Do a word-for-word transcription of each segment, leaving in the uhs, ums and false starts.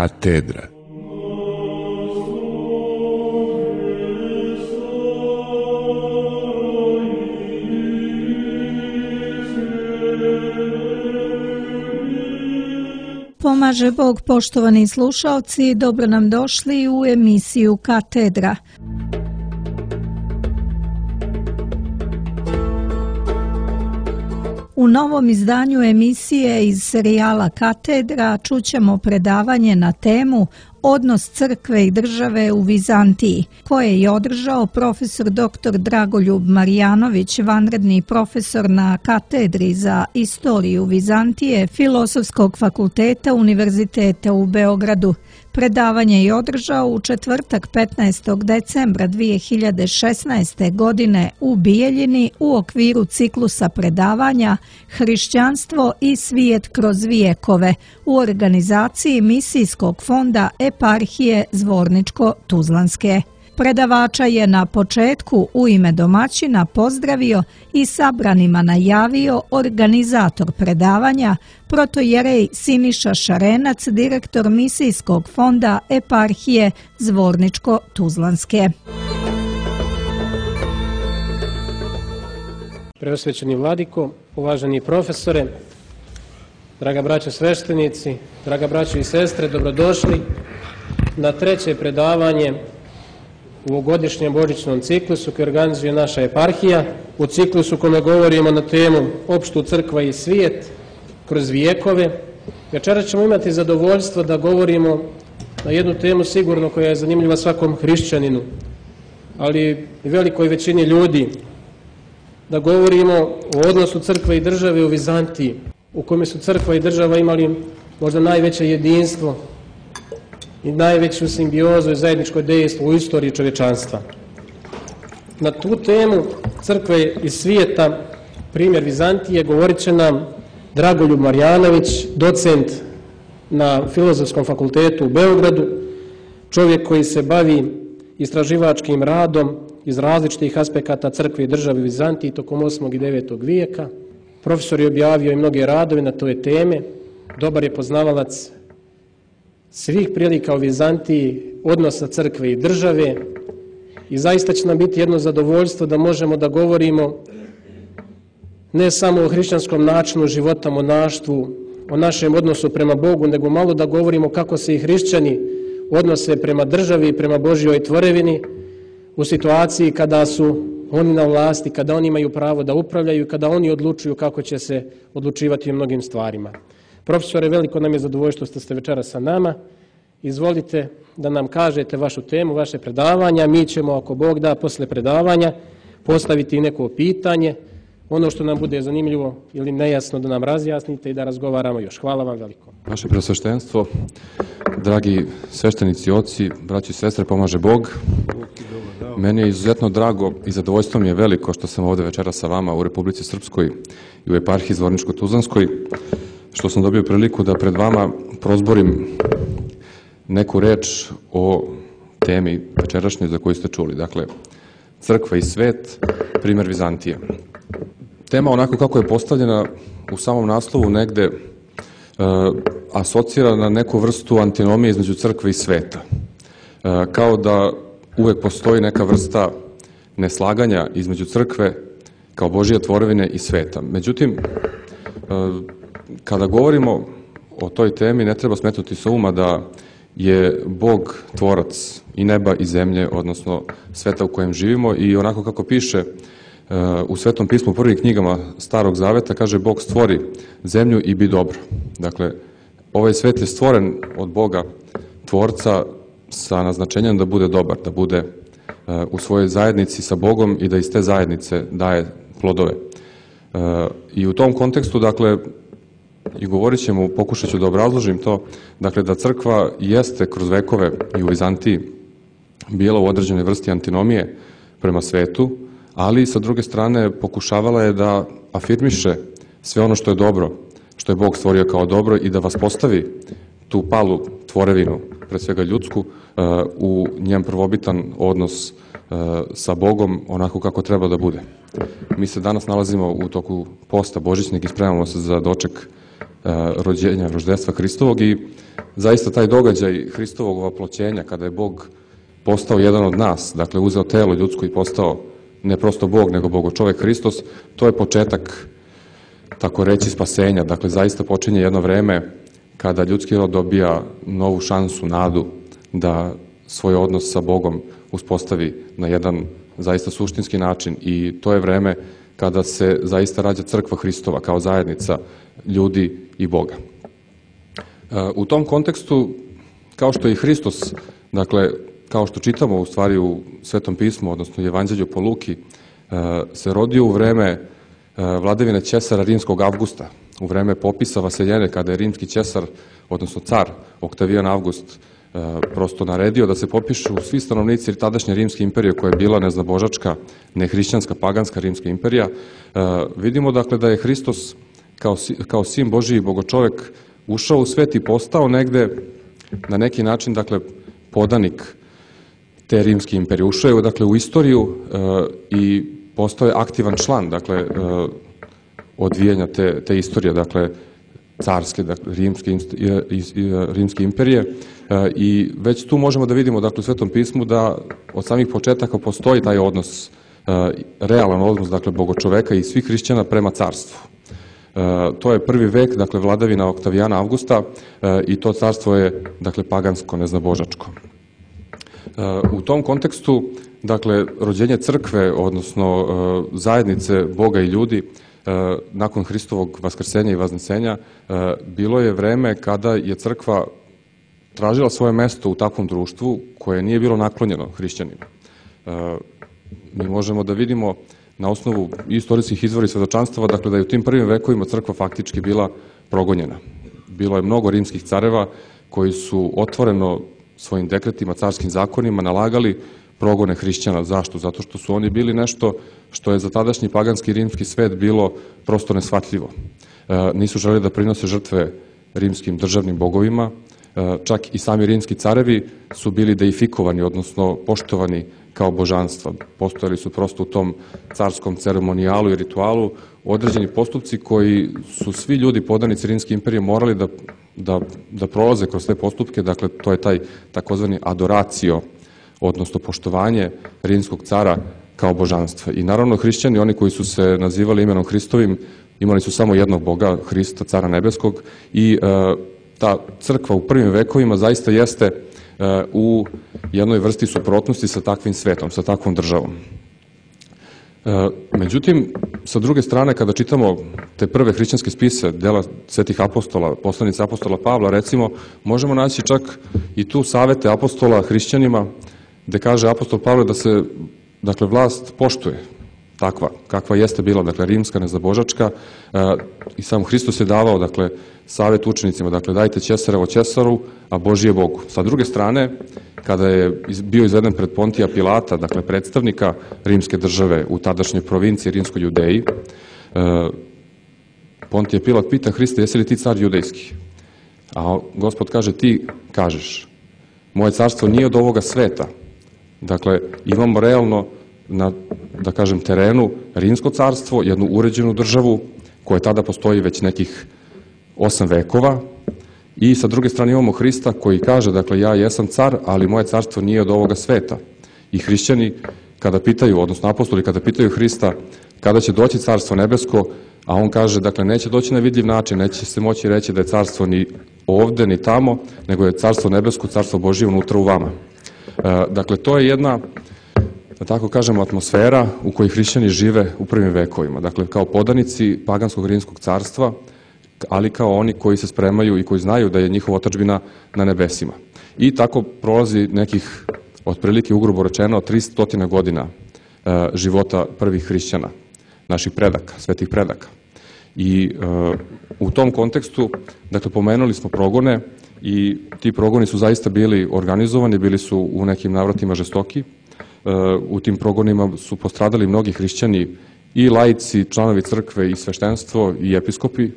Katedra. Pomaže Bog, poštovani slušalci, dobro nam došli u emisiju Katedra. U novom izdanju emisije iz serijala Katedra čućemo predavanje na temu Odnos crkve i države u Vizantiji, koje je održao profesor doktor Dragoljub Marjanović, vanredni profesor na Katedri za istoriju Vizantije Filozofskog fakulteta Univerziteta u Beogradu. Predavanje je održao u četvrtak petnaestog decembra dvije hiljade šesnaeste. godine u Bijeljini u okviru ciklusa predavanja Hrišćanstvo i svijet kroz vijekove u organizaciji Misijskog fonda Eparhije Zvorničko-Tuzlanske. Predavača je na početku u ime domaćina pozdravio i sabranima najavio organizator predavanja, protojerej Siniša Šarenac, direktor Misijskog fonda Eparhije Zvorničko-Tuzlanske. Preosvećeni vladiko, uvaženi profesore, draga braćo sveštenici, draga braćo i sestre, dobrodošli na treće predavanje u ovogodišnjem božićnom ciklusu koji organizuje naša eparhija, u ciklusu kome govorimo na temu Opštu crkva i svijet kroz vijekove. Večeras ćemo imati zadovoljstvo da govorimo na jednu temu sigurno koja je zanimljiva svakom hrišćaninu, ali i velikoj većini ljudi, da govorimo o odnosu crkve i države u Vizantiji, u kome su crkva i država imali možda najveće jedinstvo i najveću simbiozu i zajedničko dejstvo u istoriji čovječanstva. Na tu temu crkve i svijeta, primjer Vizantije, govorit će nam Dragoljub Marjanović, docent na Filozofskom fakultetu u Beogradu, čovjek koji se bavi istraživačkim radom iz različitih aspekata crkve i države u Vizantiji tokom osmog i devetog vijeka. Profesor je objavio i mnoge radove na toj teme, dobar je poznavalac svih prilika u Vizantiji, odnosa crkve i države, i zaista će nam biti jedno zadovoljstvo da možemo da govorimo ne samo o hrišćanskom načinu života, monaštvu, o našem odnosu prema Bogu, nego malo da govorimo kako se i hrišćani odnose prema državi i prema Božjoj tvorevini u situaciji kada su oni na vlasti, kada oni imaju pravo da upravljaju, kada oni odlučuju kako će se odlučivati o mnogim stvarima. Profesore, veliko nam je zadovoljstvo što ste večeras sa nama. Izvolite da nam kažete vašu temu, vaše predavanja. Mi ćemo, ako Bog da, posle predavanja postaviti neko pitanje. Ono što nam bude zanimljivo ili nejasno da nam razjasnite i da razgovaramo još. Hvala vam veliko. Vaše preosveštenstvo, dragi sveštenici, oci, braći i sestre, pomaže Bog. Meni je izuzetno drago i zadovoljstvo mi je veliko što sam ovde večera sa vama u Republici Srpskoj i u eparhiji Zvorničko-Tuzlanskoj, što sam dobio priliku da pred vama prozborim neku reč o temi večerašnjoj za koju ste čuli. Dakle, crkva i svet, primjer Vizantije. Tema onako kako je postavljena u samom naslovu negde e, asocira na neku vrstu antinomije između crkve i sveta. E, kao da uvek postoji neka vrsta neslaganja između crkve kao Božje tvorevine i sveta. Međutim, e, kada govorimo o toj temi, ne treba smetnuti sa uma da je Bog tvorac i neba i zemlje, odnosno sveta u kojem živimo, i onako kako piše u Svetom pismu u prvim knjigama Starog Zaveta, kaže Bog stvori zemlju i bi dobro. Dakle, ovaj svet je stvoren od Boga tvorca sa naznačenjem da bude dobar, da bude u svojoj zajednici sa Bogom i da iz te zajednice daje plodove. I u tom kontekstu, dakle, i govorit ćemo, pokušat ću da obrazložim to, dakle, da crkva jeste kroz vekove i u Vizantiji bila u određenoj vrsti antinomije prema svetu, ali sa druge strane pokušavala je da afirmiše sve ono što je dobro, što je Bog stvorio kao dobro, i da vas postavi tu palu tvorevinu, pre svega ljudsku, u njen prvobitan odnos sa Bogom onako kako treba da bude. Mi se danas nalazimo u toku posta božićnog i spremamo se za doček rođenja, roždestva Hristovog i zaista taj događaj Hristovog ovaploćenja, kada je Bog postao jedan od nas, dakle uzeo telo ljudsko i postao ne prosto Bog, nego Bogočovek Hristos, to je početak, tako reći, spasenja. Dakle, zaista počinje jedno vreme kada ljudski rod dobija novu šansu, nadu da svoj odnos sa Bogom uspostavi na jedan zaista suštinski način i to je vreme kada se zaista rađa crkva Hristova kao zajednica ljudi i Boga. U tom kontekstu, kao što je i Hristos, dakle, kao što čitamo u stvari u Svetom pismu, odnosno u Evanđelju po Luki, se rodio u vreme vladavine Ćesara rimskog Avgusta, u vreme popisa vaseljene, kada je rimski Ćesar, odnosno car Oktavijan Avgust, prosto naredio da se popišu svi stanovnici tadašnje rimske imperije, koja je bila neznabožačka, nehrišćanska, paganska rimska imperija. Vidimo dakle da je Hristos kao, kao sin Božiji i Bogočovek ušao u svet i postao negde na neki način dakle podanik te rimske imperije. Ušao je dakle u istoriju i postao je aktivan član dakle odvijanja te, te istorije, dakle carske, dakle, rimske, rimske imperije i već tu možemo da vidimo dakle, u Svetom pismu da od samih početaka postoji taj odnos, realan odnos dakle, Bogočoveka i svih hrišćana prema carstvu. To je prvi vek, dakle, vladavina Oktavijana Avgusta i to carstvo je dakle, pagansko, neznabožačko. U tom kontekstu, dakle, rođenje crkve, odnosno zajednice Boga i ljudi, nakon Hristovog vaskrsenja i vaznesenja, bilo je vreme kada je crkva tražila svoje mesto u takvom društvu koje nije bilo naklonjeno hrišćanima. Mi možemo da vidimo na osnovu istorijskih izvora i svedočanstava, dakle da je u tim prvim vekovima crkva faktički bila progonjena. Bilo je mnogo rimskih careva koji su otvoreno svojim dekretima, carskim zakonima nalagali progone hrišćana. Zašto? Zato što su oni bili nešto što je za tadašnji paganski rimski svet bilo prosto neshvatljivo. Nisu želeli da prinose žrtve rimskim državnim bogovima, čak i sami rimski carevi su bili deifikovani, odnosno poštovani kao božanstva. Postojali su prosto u tom carskom ceremonijalu i ritualu određeni postupci koji su svi ljudi podanici Rimske imperije morali da, da, da prolaze kroz te postupke, dakle to je taj takozvani adoracio, odnosno poštovanje rimskog cara kao božanstva. I naravno hrišćani, oni koji su se nazivali imenom Hristovim, imali su samo jednog Boga, Hrista, cara nebeskog i e, ta crkva u prvim vekovima zaista jeste e, u jednoj vrsti suprotnosti sa takvim svetom, sa takvom državom. E, međutim, sa druge strane, kada čitamo te prve hrišćanske spise, dela svetih apostola, poslanice apostola Pavla, recimo, možemo naći čak i tu savete apostola hrišćanima, gde kaže apostol Pavle da se, dakle, vlast poštuje takva, kakva jeste bila, dakle, rimska, nezabožačka, e, i sam Hristos je davao, dakle, savet učenicima, dakle, dajte Ćesarevo Ćesaru, a Božije Bogu. Sa druge strane, kada je bio izveden pred Pontija Pilata, dakle, predstavnika rimske države u tadašnjoj provinciji Rimskoj Judeji, e, Pontije Pilat pita Hrista, jesi li ti car judejski? A Gospod kaže, ti kažeš, moje carstvo nije od ovoga sveta. Dakle, imamo realno na, da kažem, terenu rimsko carstvo, jednu uređenu državu koja tada postoji već nekih osam vekova i sa druge strane imamo Hrista koji kaže, dakle, ja jesam car, ali moje carstvo nije od ovoga sveta. I hrišćani kada pitaju, odnosno apostoli kada pitaju Hrista kada će doći carstvo nebesko, a on kaže, dakle, neće doći na vidljiv način, neće se moći reći da je carstvo ni ovde, ni tamo, nego je carstvo nebesko, carstvo Božije unutra u vama. Dakle, to je jedna, da tako kažemo, atmosfera u kojoj hrišćani žive u prvim vekovima. Dakle, kao podanici paganskog rimskog carstva, ali kao oni koji se spremaju i koji znaju da je njihova otadžbina na nebesima. I tako prolazi nekih, otprilike ugrubo rečeno, tristo godina života prvih hrišćana, naših predaka, svetih predaka. I u tom kontekstu, dakle, pomenuli smo progone i ti progoni su zaista bili organizovani, bili su u nekim navratima žestoki. U tim progonima su postradali mnogi hrišćani i laici, članovi crkve i sveštenstvo i episkopi.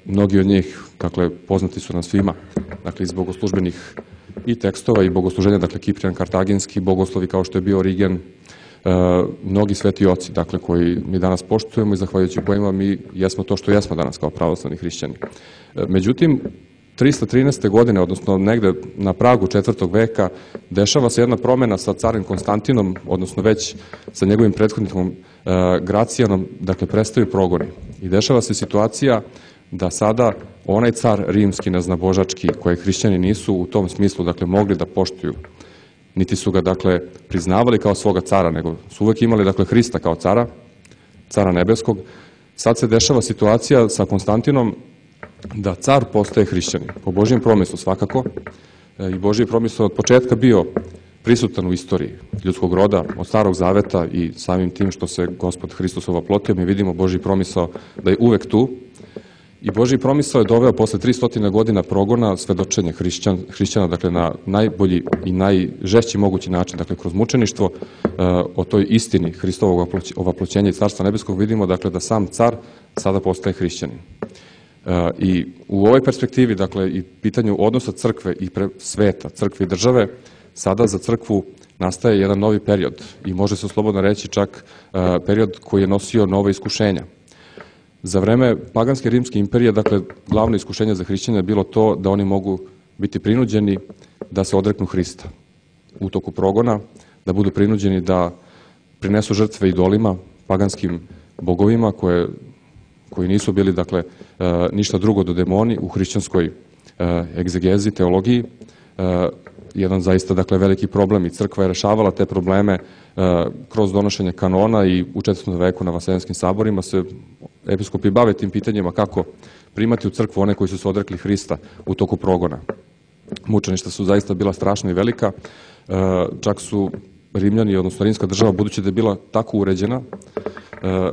Mnogi od njih, dakle, poznati su nam svima, dakle, iz bogoslužbenih i tekstova i bogosluženja, dakle, Kiprijan Kartaginski, bogoslovi kao što je bio Origen, mnogi sveti oci, dakle, koji mi danas poštujemo i zahvaljujući kojima mi jesmo to što jesmo danas kao pravoslavni hrišćani. Međutim, trista trinaeste. godine, odnosno negde na pragu četvrtog veka, dešava se jedna promena sa carim Konstantinom, odnosno već sa njegovim prethodnikom Gracijanom, dakle, prestaju progoni. I dešava se situacija da sada onaj car rimski, naznabožački, koje hrišćani nisu u tom smislu, dakle, mogli da poštuju, niti su ga, dakle, priznavali kao svoga cara, nego su uvek imali, dakle, Hrista kao cara, cara nebeskog. Sad se dešava situacija sa Konstantinom da car postaje hrišćanin, po Božijem promislu svakako, i Božji promisl od početka bio prisutan u istoriji ljudskog roda, od Starog zaveta, i samim tim što se Gospod Hristos ovoplotio, mi vidimo Božji promisao da je uvek tu. I Božji promisao je doveo posle tristo godina progona svedočenje hrišćan, hrišćana, dakle, na najbolji i najžešći mogući način, dakle, kroz mučeništvo, o toj istini Hristovog ovaploćenja i Carstva nebeskog vidimo, dakle, da sam car sada postaje hrišćanin. I u ovoj perspektivi, dakle, i pitanju odnosa crkve i sveta, crkve i države, sada za crkvu nastaje jedan novi period i može se slobodno reći čak period koji je nosio nova iskušenja. Za vreme paganske rimske imperije, dakle, glavno iskušenje za hrišćane je bilo to da oni mogu biti prinuđeni da se odreknu Hrista u toku progona, da budu prinuđeni da prinesu žrtve idolima, paganskim bogovima koje, koji nisu bili, dakle, ništa drugo do demoni u hrišćanskoj egzegezi, teologiji. Jedan zaista, dakle, veliki problem i crkva je rešavala te probleme kroz donošenje kanona i u četvrtom veku na vaseljenskim saborima se episkopi bave tim pitanjima kako primati u crkvu one koji su se odrekli Hrista u toku progona. Mučeništa su zaista bila strašna i velika, čak su Rimljani, odnosno rimska država, budući da je bila tako uređena,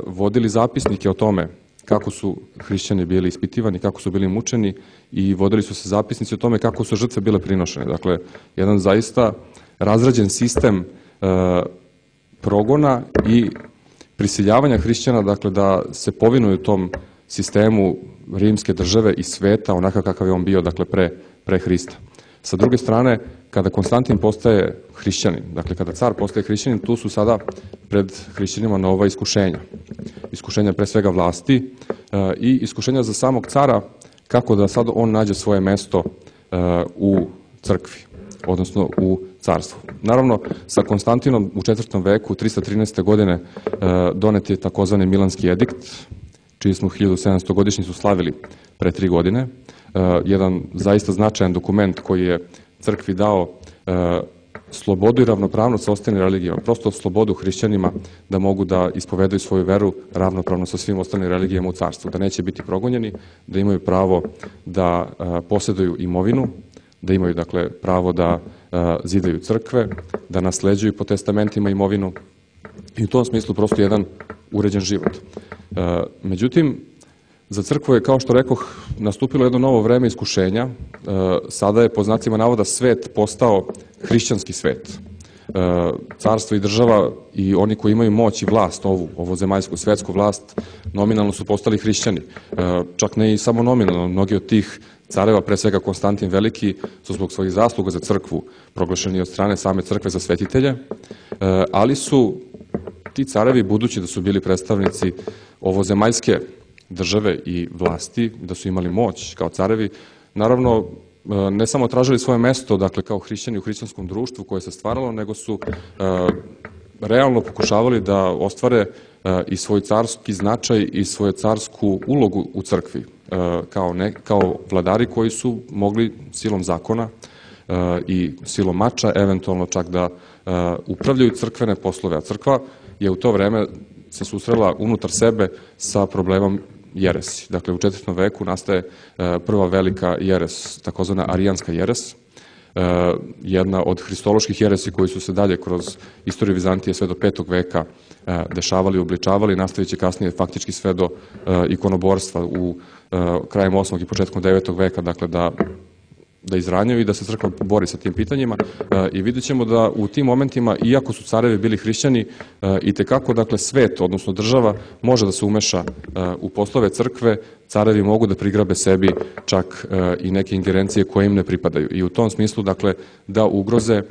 vodili zapisnike o tome kako su hrišćani bili ispitivani, kako su bili mučeni, i vodili su se zapisnici o tome kako su žrtve bile prinošene. Dakle, jedan zaista razrađen sistem e, progona i prisiljavanja hrišćana, dakle, da se povinuju tom sistemu rimske države i sveta onakav kakav je on bio, dakle, pre, pre Hrista. Sa druge strane, kada Konstantin postaje hrišćanin, dakle, kada car postaje hrišćanin, tu su sada pred hrišćanima nova iskušenja. Iskušenja pre svega vlasti e, i iskušenja za samog cara, kako da sad on nađe svoje mesto e, u crkvi, odnosno u carstvu. Naravno, sa Konstantinom u četvrtom veku, trista trinaeste. godine, e, donet je takozvani Milanski edikt, čiji smo hiljadu sedamsto godišnjicu slavili pre tri godine. E, jedan zaista značajan dokument koji je crkvi dao e, slobodu i ravnopravnost sa ostalim religijama, prosto slobodu hrišćanima da mogu da ispovedaju svoju veru ravnopravno sa svim ostalim religijama u carstvu, da neće biti progonjeni, da imaju pravo da a, posjeduju imovinu, da imaju, dakle, pravo da a, zidaju crkve, da nasleđuju po testamentima imovinu, i u tom smislu prosto jedan uređen život. A, međutim, za crkvu je, kao što rekoh, nastupilo jedno novo vreme iskušenja. Sada je, po znacima navoda, svet postao hrišćanski svet. Carstvo i država i oni koji imaju moć i vlast, ovu, ovo zemaljsku, svetsku vlast, nominalno su postali hrišćani. Čak ne i samo nominalno, mnogi od tih careva, pre svega Konstantin Veliki, su zbog svojih zasluga za crkvu proglašeni od strane same crkve za svetitelje, ali su ti carevi, budući da su bili predstavnici ovozemaljske države i vlasti, da su imali moć kao carevi, naravno, ne samo tražili svoje mesto, dakle, kao hrišćani u hrišćanskom društvu koje se stvaralo, nego su e, realno pokušavali da ostvare e, i svoj carski značaj i svoju carsku ulogu u crkvi, e, kao, ne, kao vladari koji su mogli silom zakona e, i silom mača eventualno čak da e, upravljaju crkvene poslove, a crkva je u to vreme se susrela unutar sebe sa problemom jeresi. Dakle, u četvrtom veku nastaje prva velika jeres, takozvana arijanska jeres, jedna od hristoloških jeresi koji su se dalje kroz istoriju Vizantije sve do petog veka dešavali, obličavali, nastavit će kasnije faktički sve do ikonoborstva u krajem osmog i početkom devetog veka, dakle, da da izranjaju i da se crkva bori sa tim pitanjima, i vidjet ćemo da u tim momentima, iako su carevi bili hrišćani, i tekako, dakle, svet, odnosno država, može da se umeša u poslove crkve, carevi mogu da prigrabe sebi čak i neke ingerencije koje im ne pripadaju. I u tom smislu, dakle, da ugroze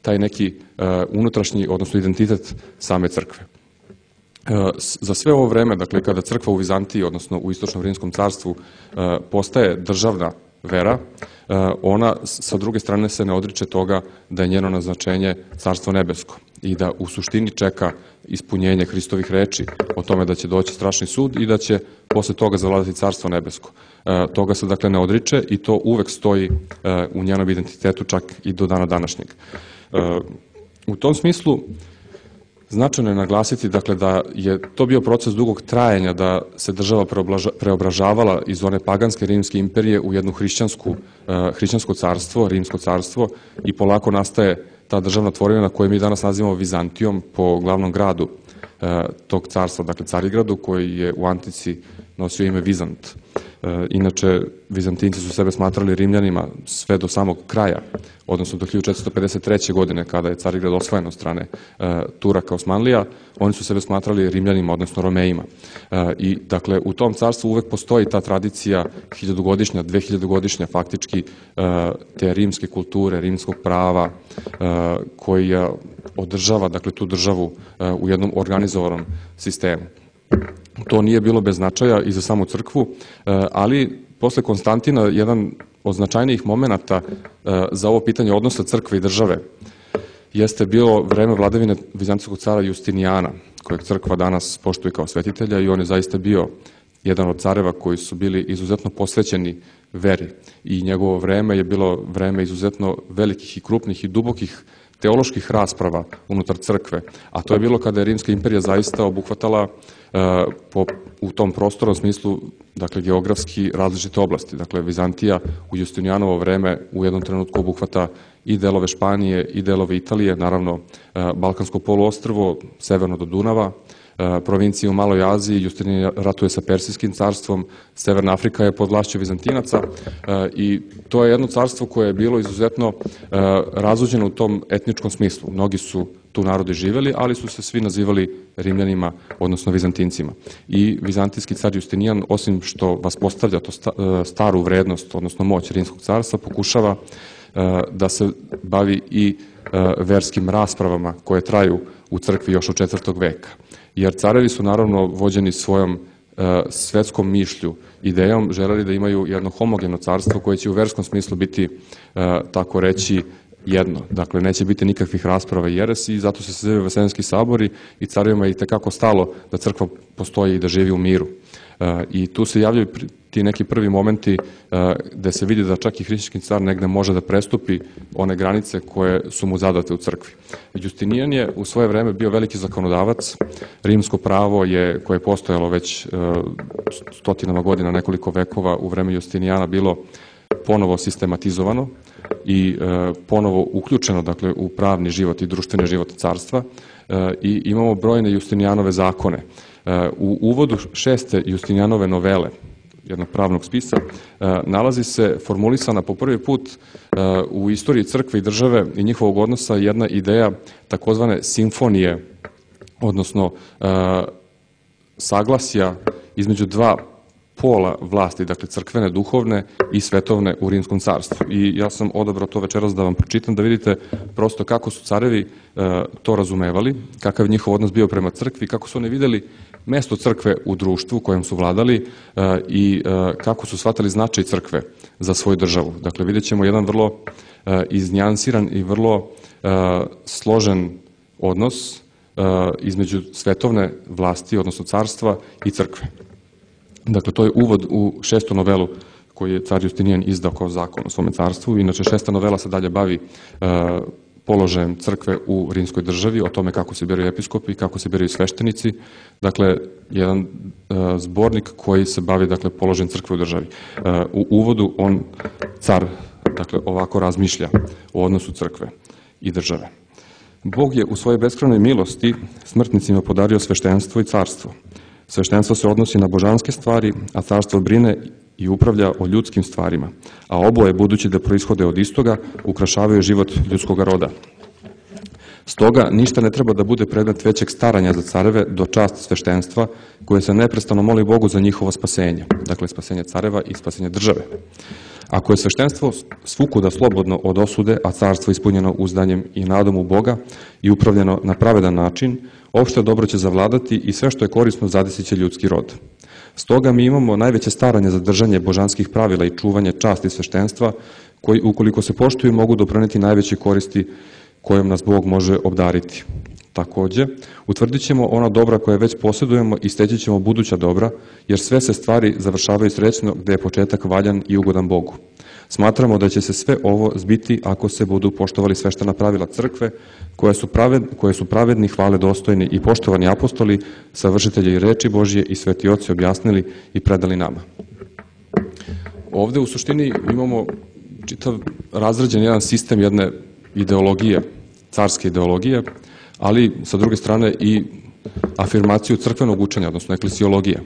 taj neki unutrašnji, odnosno identitet same crkve. Za sve ovo vreme, dakle, kada crkva u Vizantiji, odnosno u Istočnom Rimskom carstvu, postaje državna vera, ona sa druge strane se ne odriče toga da je njeno naznačenje Carstvo nebesko i da u suštini čeka ispunjenje Hristovih reči o tome da će doći strašni sud i da će posle toga zavladati Carstvo nebesko. Toga se dakle ne odriče i to uvek stoji u njenom identitetu čak i do dana današnjeg. U tom smislu značajno je naglasiti dakle, da je to bio proces dugog trajanja, da se država preobražavala iz one paganske rimske imperije u jednu hrišćansku, hrišćansko carstvo, rimsko carstvo i polako nastaje ta državna tvorevina koju mi danas nazivamo Vizantijom po glavnom gradu tog carstva, dakle Carigradu, koji je u antici nosio ime Vizant. Inače, Vizantinci su sebe smatrali Rimljanima sve do samog kraja, odnosno do hiljadu četiristo pedeset treće. godine, kada je Carigrad osvojen od strane Turaka Osmanlija, oni su sebe smatrali Rimljanima, odnosno Romejima. I, dakle, u tom carstvu uvek postoji ta tradicija hiljadugodišnja, dvehiljadugodišnja faktički, te rimske kulture, rimskog prava, koja održava, dakle, tu državu u jednom organizovanom sistemu. To nije bilo bez značaja i za samu crkvu, ali posle Konstantina jedan od značajnijih momenata za ovo pitanje odnosa crkve i države jeste bilo vreme vladavine vizantijskog cara Justinijana, kojeg crkva danas poštuje kao svetitelja, i on je zaista bio jedan od careva koji su bili izuzetno posvećeni veri i njegovo vreme je bilo vreme izuzetno velikih i krupnih i dubokih teoloških rasprava unutar crkve, a to je bilo kada je Rimska imperija zaista obuhvatala po, u tom prostornom smislu, dakle, geografski različite oblasti. Dakle, Vizantija u Justinijanovo vreme u jednom trenutku obuhvata i delove Španije i delove Italije, naravno Balkansko poluostrvo, severno do Dunava, provincije u Maloj Aziji, Justinijan ratuje sa Persijskim carstvom, Severna Afrika je pod vlašću Vizantinaca i to je jedno carstvo koje je bilo izuzetno razuđeno u tom etničkom smislu. Mnogi su tu narodi živeli, ali su se svi nazivali Rimljanima, odnosno Vizantincima. I vizantijski car Justinijan, osim što vas postavlja to staru vrednost, odnosno moć Rimskog carstva, pokušava da se bavi i verskim raspravama koje traju u crkvi još od četvrtog veka. Jer carevi su naravno vođeni svojom svetskom mišlju, idejom, želeli da imaju jedno homogeno carstvo koje će u verskom smislu biti, tako reći, jedno. Dakle, neće biti nikakvih rasprava i jeresi i zato se sazivaju Vaseljenski sabori i carevima je itekako stalo da crkva postoji i da živi u miru. I tu se javljaju ti neki prvi momenti gde se vidi da čak i hrišćanski car negde može da prestupi one granice koje su mu zadate u crkvi. Justinijan je u svoje vreme bio veliki zakonodavac. Rimsko pravo je, koje je postojalo već stotinama godina, nekoliko vekova, u vreme Justinijana bilo ponovo sistematizovano i ponovo uključeno, dakle, u pravni život i društveni život carstva i imamo brojne Justinijanove zakone. U uvodu šeste Justinijanove novele, jednog pravnog spisa, nalazi se formulisana po prvi put u istoriji crkve i države i njihovog odnosa jedna ideja takozvane simfonije, odnosno saglasja između dva pola vlasti, dakle crkvene, duhovne i svetovne u Rimskom carstvu. I ja sam odabrao to večeras da vam pročitam, da vidite prosto kako su carevi to razumevali, kakav je njihov odnos bio prema crkvi, kako su oni videli mesto crkve u društvu u kojem su vladali i kako su shvatali značaj crkve za svoju državu. Dakle, vidjet ćemo jedan vrlo iznjansiran i vrlo složen odnos između svetovne vlasti, odnosno carstva i crkve. Dakle, to je uvod u šestu novelu koju je car Justinijan izdao kao zakon o svome carstvu. Inače, šesta novela se dalje bavi položajem crkve u rimskoj državi, o tome kako se biraju episkopi, kako se biraju sveštenici. Dakle, jedan zbornik koji se bavi, dakle, položajem crkve u državi. U uvodu on, car, dakle, ovako razmišlja o odnosu crkve i države. Bog je u svojoj beskrajnoj milosti smrtnicima podario sveštenstvo i carstvo. Sveštenstvo se odnosi na božanske stvari, a carstvo brine i upravlja o ljudskim stvarima, a oboje, budući da proishode od istoga, ukrašavaju život ljudskog roda. Stoga, ništa ne treba da bude predmet većeg staranja za careve do čast sveštenstva, koje se neprestano moli Bogu za njihovo spasenje, dakle spasenje careva i spasenje države. Ako je sveštenstvo svukuda slobodno od osude, a carstvo ispunjeno uzdanjem i nadom u Boga i upravljeno na pravedan način, opšte dobro će zavladati i sve što je korisno zadesit će ljudski rod. Stoga mi imamo najveće staranje za držanje božanskih pravila i čuvanje časti sveštenstva, koji ukoliko se poštuju mogu doprineti najveće koristi kojom nas Bog može obdariti. Takođe, utvrdit ćemo ona dobra koje već posjedujemo i steći ćemo buduća dobra, jer sve se stvari završavaju srećno gde je početak valjan i ugodan Bogu. Smatramo da će se sve ovo zbiti ako se budu poštovali sveštena pravila crkve, koje su, praved, koje su pravedni, hvale dostojni i poštovani apostoli, savršitelji i reči Božje i sveti oci objasnili i predali nama. Ovde u suštini imamo čitav razrađen jedan sistem jedne ideologije, carske ideologije, ali sa druge strane i afirmaciju crkvenog učenja, odnosno eklesiologije,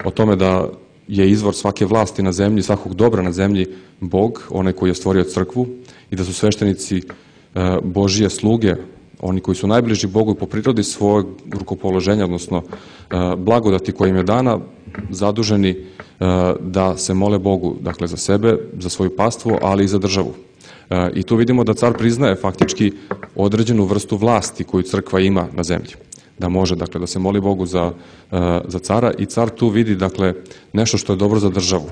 o tome da je izvor svake vlasti na zemlji, svakog dobra na zemlji Bog, onaj koji je stvorio crkvu, i da su sveštenici Božije sluge, oni koji su najbliži Bogu po prirodi svojeg rukopoloženja, odnosno blagodati koja im je dana, zaduženi da se mole Bogu, dakle za sebe, za svoju pastvu, ali i za državu. I tu vidimo da car priznaje faktički određenu vrstu vlasti koju crkva ima na zemlji. Da može, dakle, da se moli Bogu za, za cara i car tu vidi, dakle, nešto što je dobro za državu.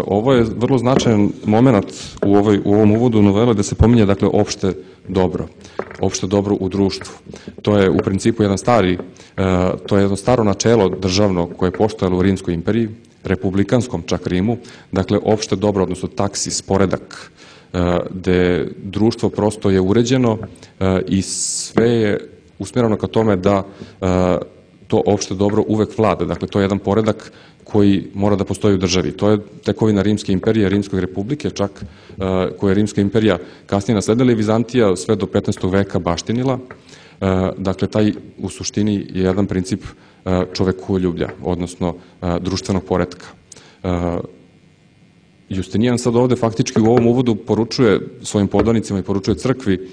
Ovo je vrlo značajan moment u, ovoj, u ovom uvodu novele da se pominje, dakle, opšte dobro. Opšte dobro u društvu. To je u principu jedan stari, to je jedno staro načelo državno koje je postojalo u Rimskoj imperiji, republikanskom čak Rimu, dakle, opšte dobro, odnosno taksis, poredak, gde društvo prosto je uređeno i sve je usmjereno ka tome da to opšte dobro uvek vlada. Dakle, to je jedan poredak koji mora da postoji u državi. To je tekovina Rimske imperije, Rimskog republike, čak koje je Rimska imperija kasnije nasledila i Vizantija sve do petnaestog veka baštinila. Dakle, taj u suštini je jedan princip čovekoljublja, odnosno društvenog poretka. Justinijan sad ovde faktički u ovom uvodu poručuje svojim podanicima i poručuje crkvi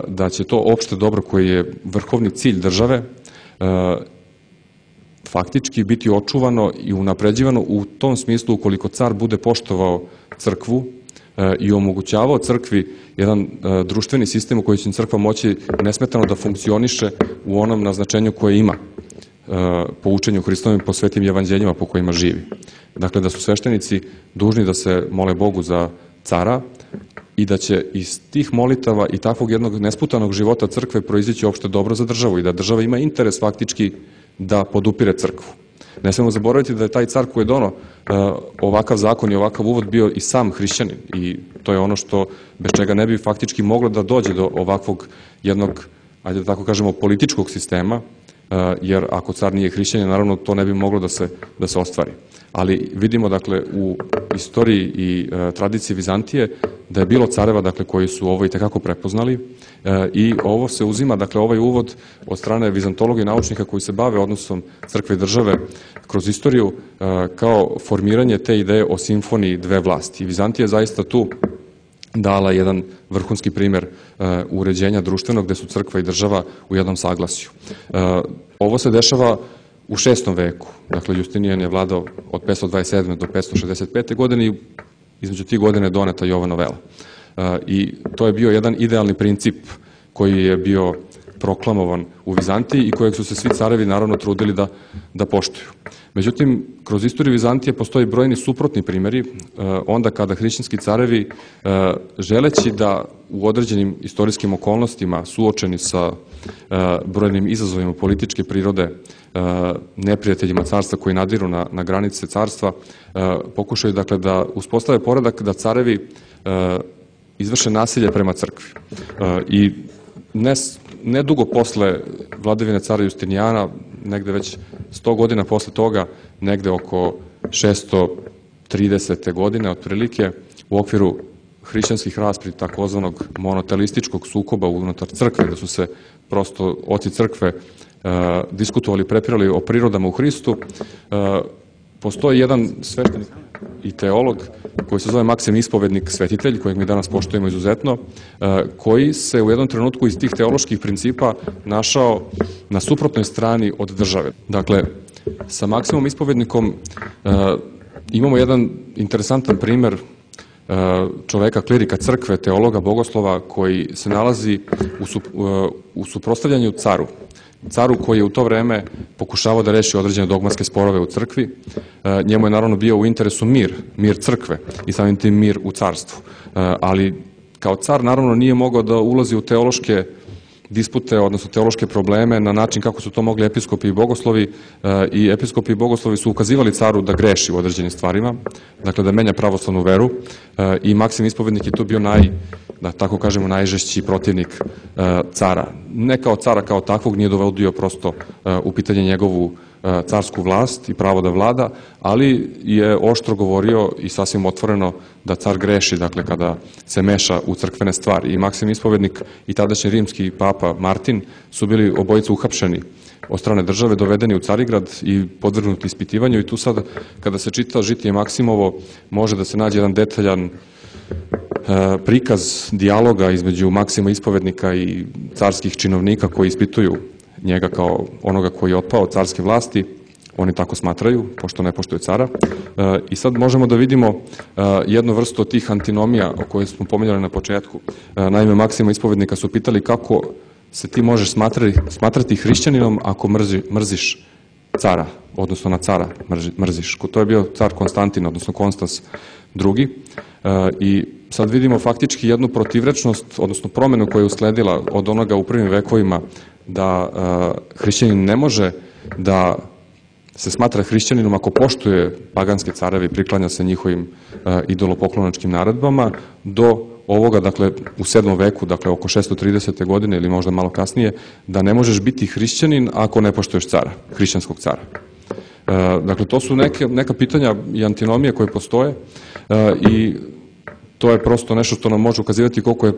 da će to opšte dobro koji je vrhovni cilj države faktički biti očuvano i unapređivano u tom smislu ukoliko car bude poštovao crkvu i omogućavao crkvi jedan društveni sistem u koji će crkva moći nesmetano da funkcioniše u onom naznačenju koje ima po učenju Hristovim, po svetim evanđeljima po kojima živi. Dakle, da su sveštenici dužni da se mole Bogu za cara i da će iz tih molitava i takvog jednog nesputanog života crkve proizići opšte dobro za državu i da država ima interes faktički da podupire crkvu. Ne smemo zaboraviti da je taj car koji je dono ovakav zakon i ovakav uvod bio i sam hrišćanin i to je ono što bez čega ne bi faktički moglo da dođe do ovakvog jednog, ajde da tako kažemo, političkog sistema, jer ako car nije hrišćanin, naravno to ne bi moglo da se, da se ostvari. Ali vidimo, dakle, u istoriji i e, tradiciji Vizantije da je bilo careva, dakle, koji su ovo i tekako prepoznali e, i ovo se uzima, dakle, ovaj uvod od strane vizantologa i naučnika koji se bave odnosom crkve i države kroz istoriju e, kao formiranje te ideje o simfoniji dve vlasti. I Vizantija je zaista tu dala jedan vrhunski primer uh, uređenja društvenog gde su crkva i država u jednom saglasju. Uh, ovo se dešava u šestom veku. Dakle, Justinijan je vladao od petsto dvadeset sedme do petsto šezdeset pete godine i između tih godina je doneta i ova novela. Uh, I to je bio jedan idealni princip koji je bio proklamovan u Vizantiji i kojeg su se svi carevi naravno trudili da, da poštuju. Međutim, kroz istoriju Vizantije postoji brojni suprotni primjeri, onda kada hrišćanski carevi, želeći da u određenim istorijskim okolnostima suočeni sa brojnim izazovima političke prirode, neprijateljima carstva koji nadiru na, na granice carstva, pokušaju, dakle, da uspostave poredak da carevi izvrše nasilje prema crkvi. I ne, ne dugo posle vladavine cara Justinijana, negde već sto godina posle toga, negde oko šesto tridesete godine otprilike, u okviru hrišćanskih rasprava takozvanog monotelističkog sukoba unutar crkve, da su se prosto oci crkve uh, diskutovali, prepirali o prirodama u Hristu, uh, postoji jedan sveštenik i teolog koji se zove Maksim Ispovednik Svetitelj, kojeg mi danas poštujemo izuzetno, koji se u jednom trenutku iz tih teoloških principa našao na suprotnoj strani od države. Dakle, sa Maksimom Ispovednikom imamo jedan interesantan primer čoveka, klirika crkve, teologa, bogoslova koji se nalazi u, su, u suprotstavljanju caru. Caru koji je u to vreme pokušavao da reši određene dogmatske sporove u crkvi. Njemu je naravno bio u interesu mir, mir crkve i samim tim mir u carstvu. Ali kao car naravno nije mogao da ulazi u teološke dispute, odnosno teološke probleme na način kako su to mogli episkopi i bogoslovi, i episkopi i bogoslovi su ukazivali caru da greši u određenim stvarima, dakle da menja pravoslavnu veru, i Maksim Ispovednik je tu bio naj, da tako kažemo, najžešći protivnik cara. Ne kao cara kao takvog, nije dovodio prosto u pitanje njegovu carsku vlast i pravo da vlada, ali je oštro govorio i sasvim otvoreno da car greši, dakle, kada se meša u crkvene stvari. I Maksim Ispovednik i tadašnji rimski papa Martin su bili obojica uhapšeni od strane države, dovedeni u Carigrad i podvrgnuti ispitivanju, i tu sad, kada se čita Žitije Maksimovo, može da se nađe jedan detaljan prikaz dijaloga između Maksima Ispovednika i carskih činovnika koji ispituju njega kao onoga koji je otpao od carske vlasti. Oni tako smatraju, pošto ne poštuju cara. I sad možemo da vidimo jednu vrstu tih antinomija o kojoj smo pominjali na početku. Naime, Maksima Ispovednika su pitali kako se ti možeš smatrati, smatrati hrišćaninom ako mrzi, mrziš cara, odnosno na cara mrziš. To je bio car Konstantin, odnosno Konstans drugi. I sad vidimo faktički jednu protivrečnost, odnosno promenu koja je usledila od onoga u prvim vekovima da hrišćanin ne može da se smatra hrišćaninom ako poštuje paganske careve i priklanja se njihovim idolopoklonačkim naredbama, do ovoga, dakle, u sedmom veku, dakle, oko šesto tridesete godine ili možda malo kasnije, da ne možeš biti hrišćanin ako ne poštuješ cara, hrišćanskog cara. Dakle, to su neke, neka pitanja i antinomije koje postoje i to je prosto nešto što nam može ukazivati koliko je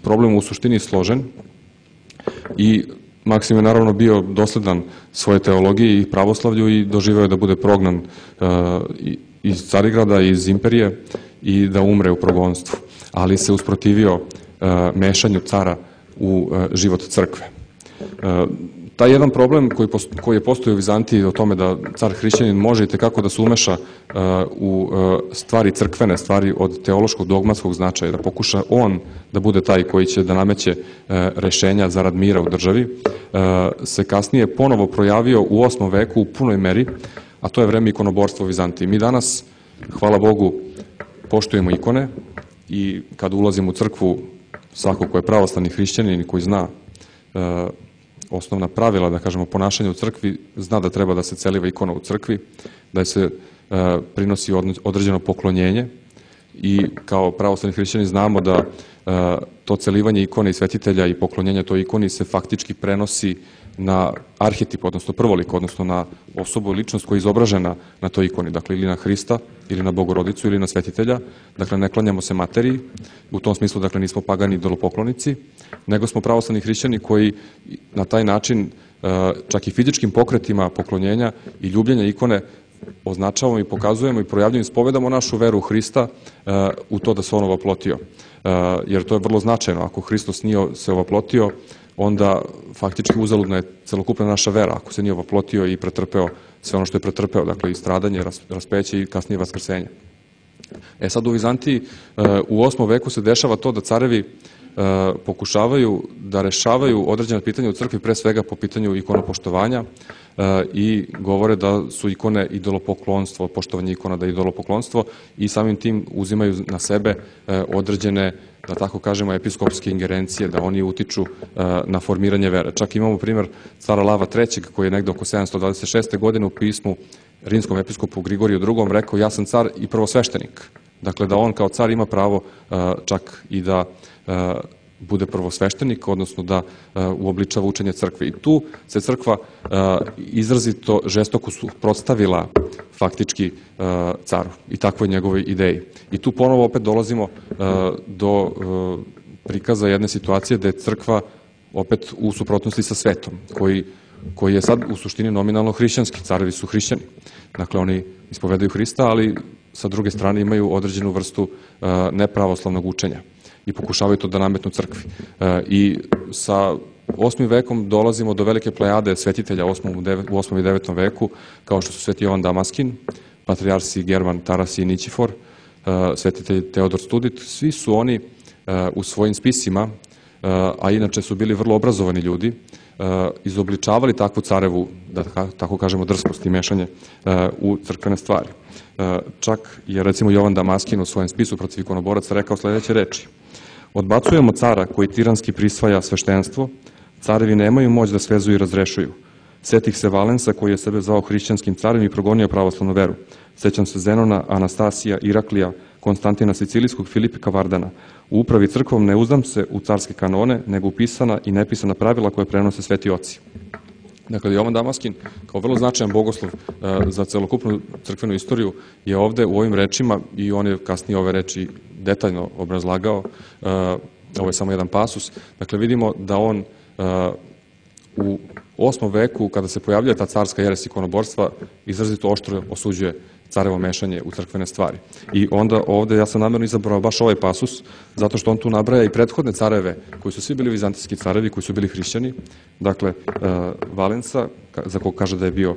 problem u suštini složen. I Maksim je naravno bio dosledan svoje teologiji i pravoslavlju i doživeo je da bude prognan iz Carigrada, iz imperije, i da umre u progonstvu. Ali se usprotivio mešanju cara u život crkve. Taj jedan problem koji, koji je postojao u Vizantiji o tome da car hrišćanin može i tekako da se umeša u stvari crkvene, stvari od teološkog dogmatskog značaja, da pokuša on da bude taj koji će da nameće rešenja zarad mira u državi, se kasnije ponovo projavio u osmom veku u punoj meri, a to je vreme ikonoborstva u Vizantiji. Mi danas, hvala Bogu, poštujemo ikone i kad ulazimo u crkvu, svako ko je pravoslavni hrišćanin i koji zna osnovna pravila, da kažemo, ponašanja u crkvi, zna da treba da se celiva ikona u crkvi, da se prinosi određeno poklonjenje, i kao pravoslavni hrišćani znamo da to celivanje ikone i svetitelja i poklonjenje toj ikoni se faktički prenosi na arhetip, odnosno prvolik, odnosno na osobu i ličnost koja je izobražena na toj ikoni, dakle ili na Hrista, ili na Bogorodicu, ili na svetitelja. Dakle, ne klanjamo se materiji, u tom smislu, dakle, nismo pagani idolopoklonici, nego smo pravoslavni hrišćani koji na taj način, čak i fizičkim pokretima poklonjenja i ljubljenja ikone, označavamo i pokazujemo i projavljujemo i ispovedamo našu veru u Hrista u to da se on ovoplotio. Jer to je vrlo značajno. Ako Hristos nije se ovoplotio, onda faktički uzaludna je celokupna naša vera, ako se nije ovoplotio i pretrpeo sve ono što je pretrpeo, dakle i stradanje, raspeće i kasnije vaskrsenje. E sad u Vizantiji u osmom veku se dešava to da carevi pokušavaju da rešavaju određena pitanja u crkvi, pre svega po pitanju ikonopoštovanja, i govore da su ikone idolopoklonstvo, poštovanje ikona da je idolopoklonstvo, i samim tim uzimaju na sebe određene, da tako kažemo, episkopske ingerencije, da oni utiču na formiranje vere. Čak imamo primjer cara Lava trećeg koji je negde oko sedamsto dvadeset šeste godine u pismu rimskom episkopu Grigoriju drugom rekao: ja sam car i prvosveštenik. Dakle, da on kao car ima pravo čak i da bude prvosveštenik, odnosno da uobličava učenje crkve. I tu se crkva izrazito žestoko suprotstavila faktički caru i takvoj njegovoj ideji. I tu ponovo opet dolazimo do prikaza jedne situacije da je crkva opet u suprotnosti sa svetom, koji, koji je sad u suštini nominalno hrišćanski. Carevi su hrišćani. Dakle, oni ispovedaju Hrista, ali sa druge strane imaju određenu vrstu nepravoslavnog učenja i pokušavaju to da nametnu crkvi. I sa osmim vekom dolazimo do velike plejade svetitelja u osmom i devetom veku, kao što su sveti Jovan Damaskin, patrijarsi German, Taras i Nićifor, svetitelj Teodor Studit, svi su oni u svojim spisima, a inače su bili vrlo obrazovani ljudi, izobličavali takvu carevu, da tako kažemo, drskost i mešanje u crkvene stvari. Čak je recimo Jovan Damaskin u svojem spisu protiv ikonoboraca rekao sledeće reči: odbacujemo cara koji tiranski prisvaja sveštenstvo, carevi nemaju moć da svezuju i razrešuju. Setih se Valensa koji je sebe zvao hrišćanskim carem i progonio pravoslavnu veru. Sećam se Zenona, Anastasija, Iraklija, Konstantina Sicilijskog, Filipika Vardana. U upravi crkvom ne uzdam se u carske kanone, nego upisana i nepisana pravila koje prenose sveti oci. Dakle, Jovan Damaskin, kao vrlo značajan bogoslov za celokupnu crkvenu istoriju, je ovde u ovim rečima, i on je kasnije ove reči detaljno obrazlagao, ovo je samo jedan pasus, dakle vidimo da on u osmom veku, kada se pojavljuje ta carska jeres ikonoborstva, izrazito oštro osuđuje carevo mešanje u crkvene stvari. I onda ovde ja sam namjerno izabrao baš ovaj pasus, zato što on tu nabraja i prethodne careve, koji su svi bili vizantijski carevi, koji su bili hrišćani, dakle Valensa, za kog kaže da je bio,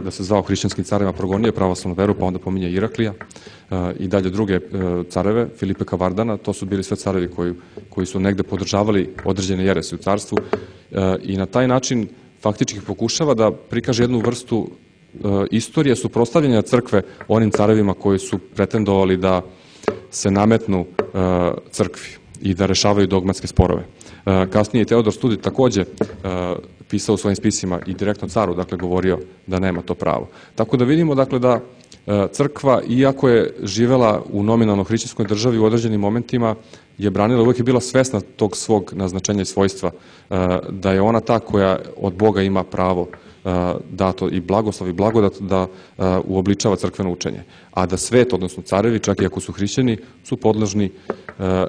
da se zvao hrišćanskim carevima, progonio pravoslavnu veru, pa onda pominje Iraklija, i dalje druge careve, Filipeka Vardana, to su bili sve carevi koji, koji su negde podržavali određene jerese u carstvu, i na taj način faktički pokušava da prikaže jednu vrstu istorije suprotstavljanja crkve onim carevima koji su pretendovali da se nametnu crkvi i da rešavaju dogmatske sporove. Kasnije je Teodor Studit takođe pisao u svojim spisima i direktno caru, dakle, govorio da nema to pravo. Tako da vidimo, dakle, da crkva, iako je živela u nominalno hrišćanskoj državi u određenim momentima, je branila, uvek je bila svesna tog svog naznačenja i svojstva, da je ona ta koja od Boga ima pravo dato i blagoslov i blagodat da uobličava crkveno učenje. A da svet, odnosno carevi, čak i ako su hrišćani, su podložni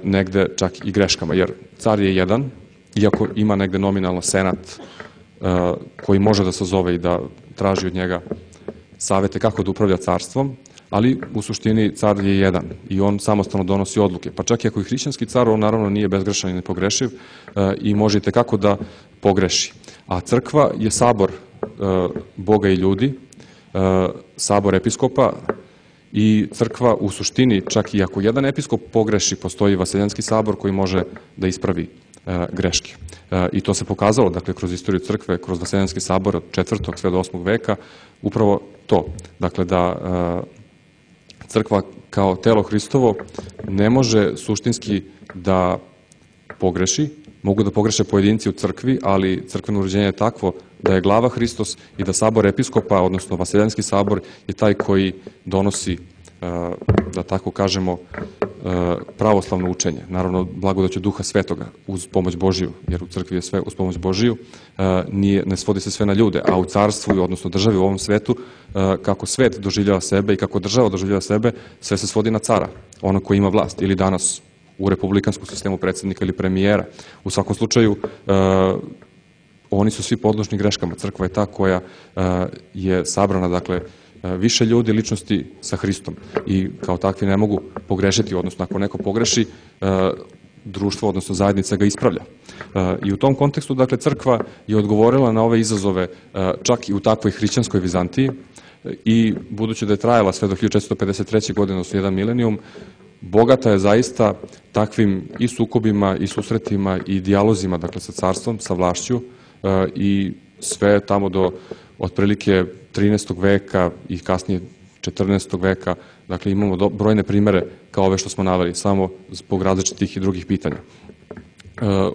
negde čak i greškama. Jer car je jedan, iako ima negde nominalno senat koji može da sazove i da traži od njega savete kako da upravlja carstvom, ali u suštini car je jedan i on samostalno donosi odluke. Pa čak i ako je hrišćanski car, on naravno nije bezgrešan i nepogrešiv i može i tekako da pogreši. A crkva je sabor Boga i ljudi, sabor episkopa, i crkva u suštini, čak i ako jedan episkop pogreši, postoji Vaseljanski sabor koji može da ispravi greške. I to se pokazalo, dakle, kroz istoriju crkve, kroz Vaseljanski sabor od četvrtog sve do osmog veka, upravo to. Dakle, da crkva kao telo Hristovo ne može suštinski da pogreši, mogu da pogreše pojedinci u crkvi, ali crkveno uređenje je takvo da je glava Hristos i da sabor episkopa, odnosno Vaseljanski sabor, je taj koji donosi, da tako kažemo, pravoslavno učenje. Naravno, blagodaću Duha Svetoga uz pomoć Božiju, jer u crkvi je sve uz pomoć Božiju, nije, ne svodi se sve na ljude, a u carstvu, odnosno državi u ovom svetu, kako svet doživljava sebe i kako država doživljava sebe, sve se svodi na cara, ono koji ima vlast, ili danas u republikanskom sistemu predsjednika ili premijera. U svakom slučaju, oni su svi podložni greškama. Crkva je ta koja je sabrana, dakle, više ljudi, ličnosti sa Hristom i kao takvi ne mogu pogrešiti, odnosno ako neko pogreši, društvo, odnosno zajednica ga ispravlja. I u tom kontekstu, dakle, crkva je odgovorila na ove izazove čak i u takvoj hrišćanskoj Vizantiji i budući da je trajala sve do hiljadu četiristo pedeset treće. godine, odnosno jedan milenijum, bogata je zaista takvim i sukobima i susretima i dijalozima, dakle, sa carstvom, sa vlašću, i sve tamo do otprilike trinaestog veka i kasnije četrnaestog veka, dakle, imamo brojne primere kao ove što smo naveli, samo zbog različitih i drugih pitanja.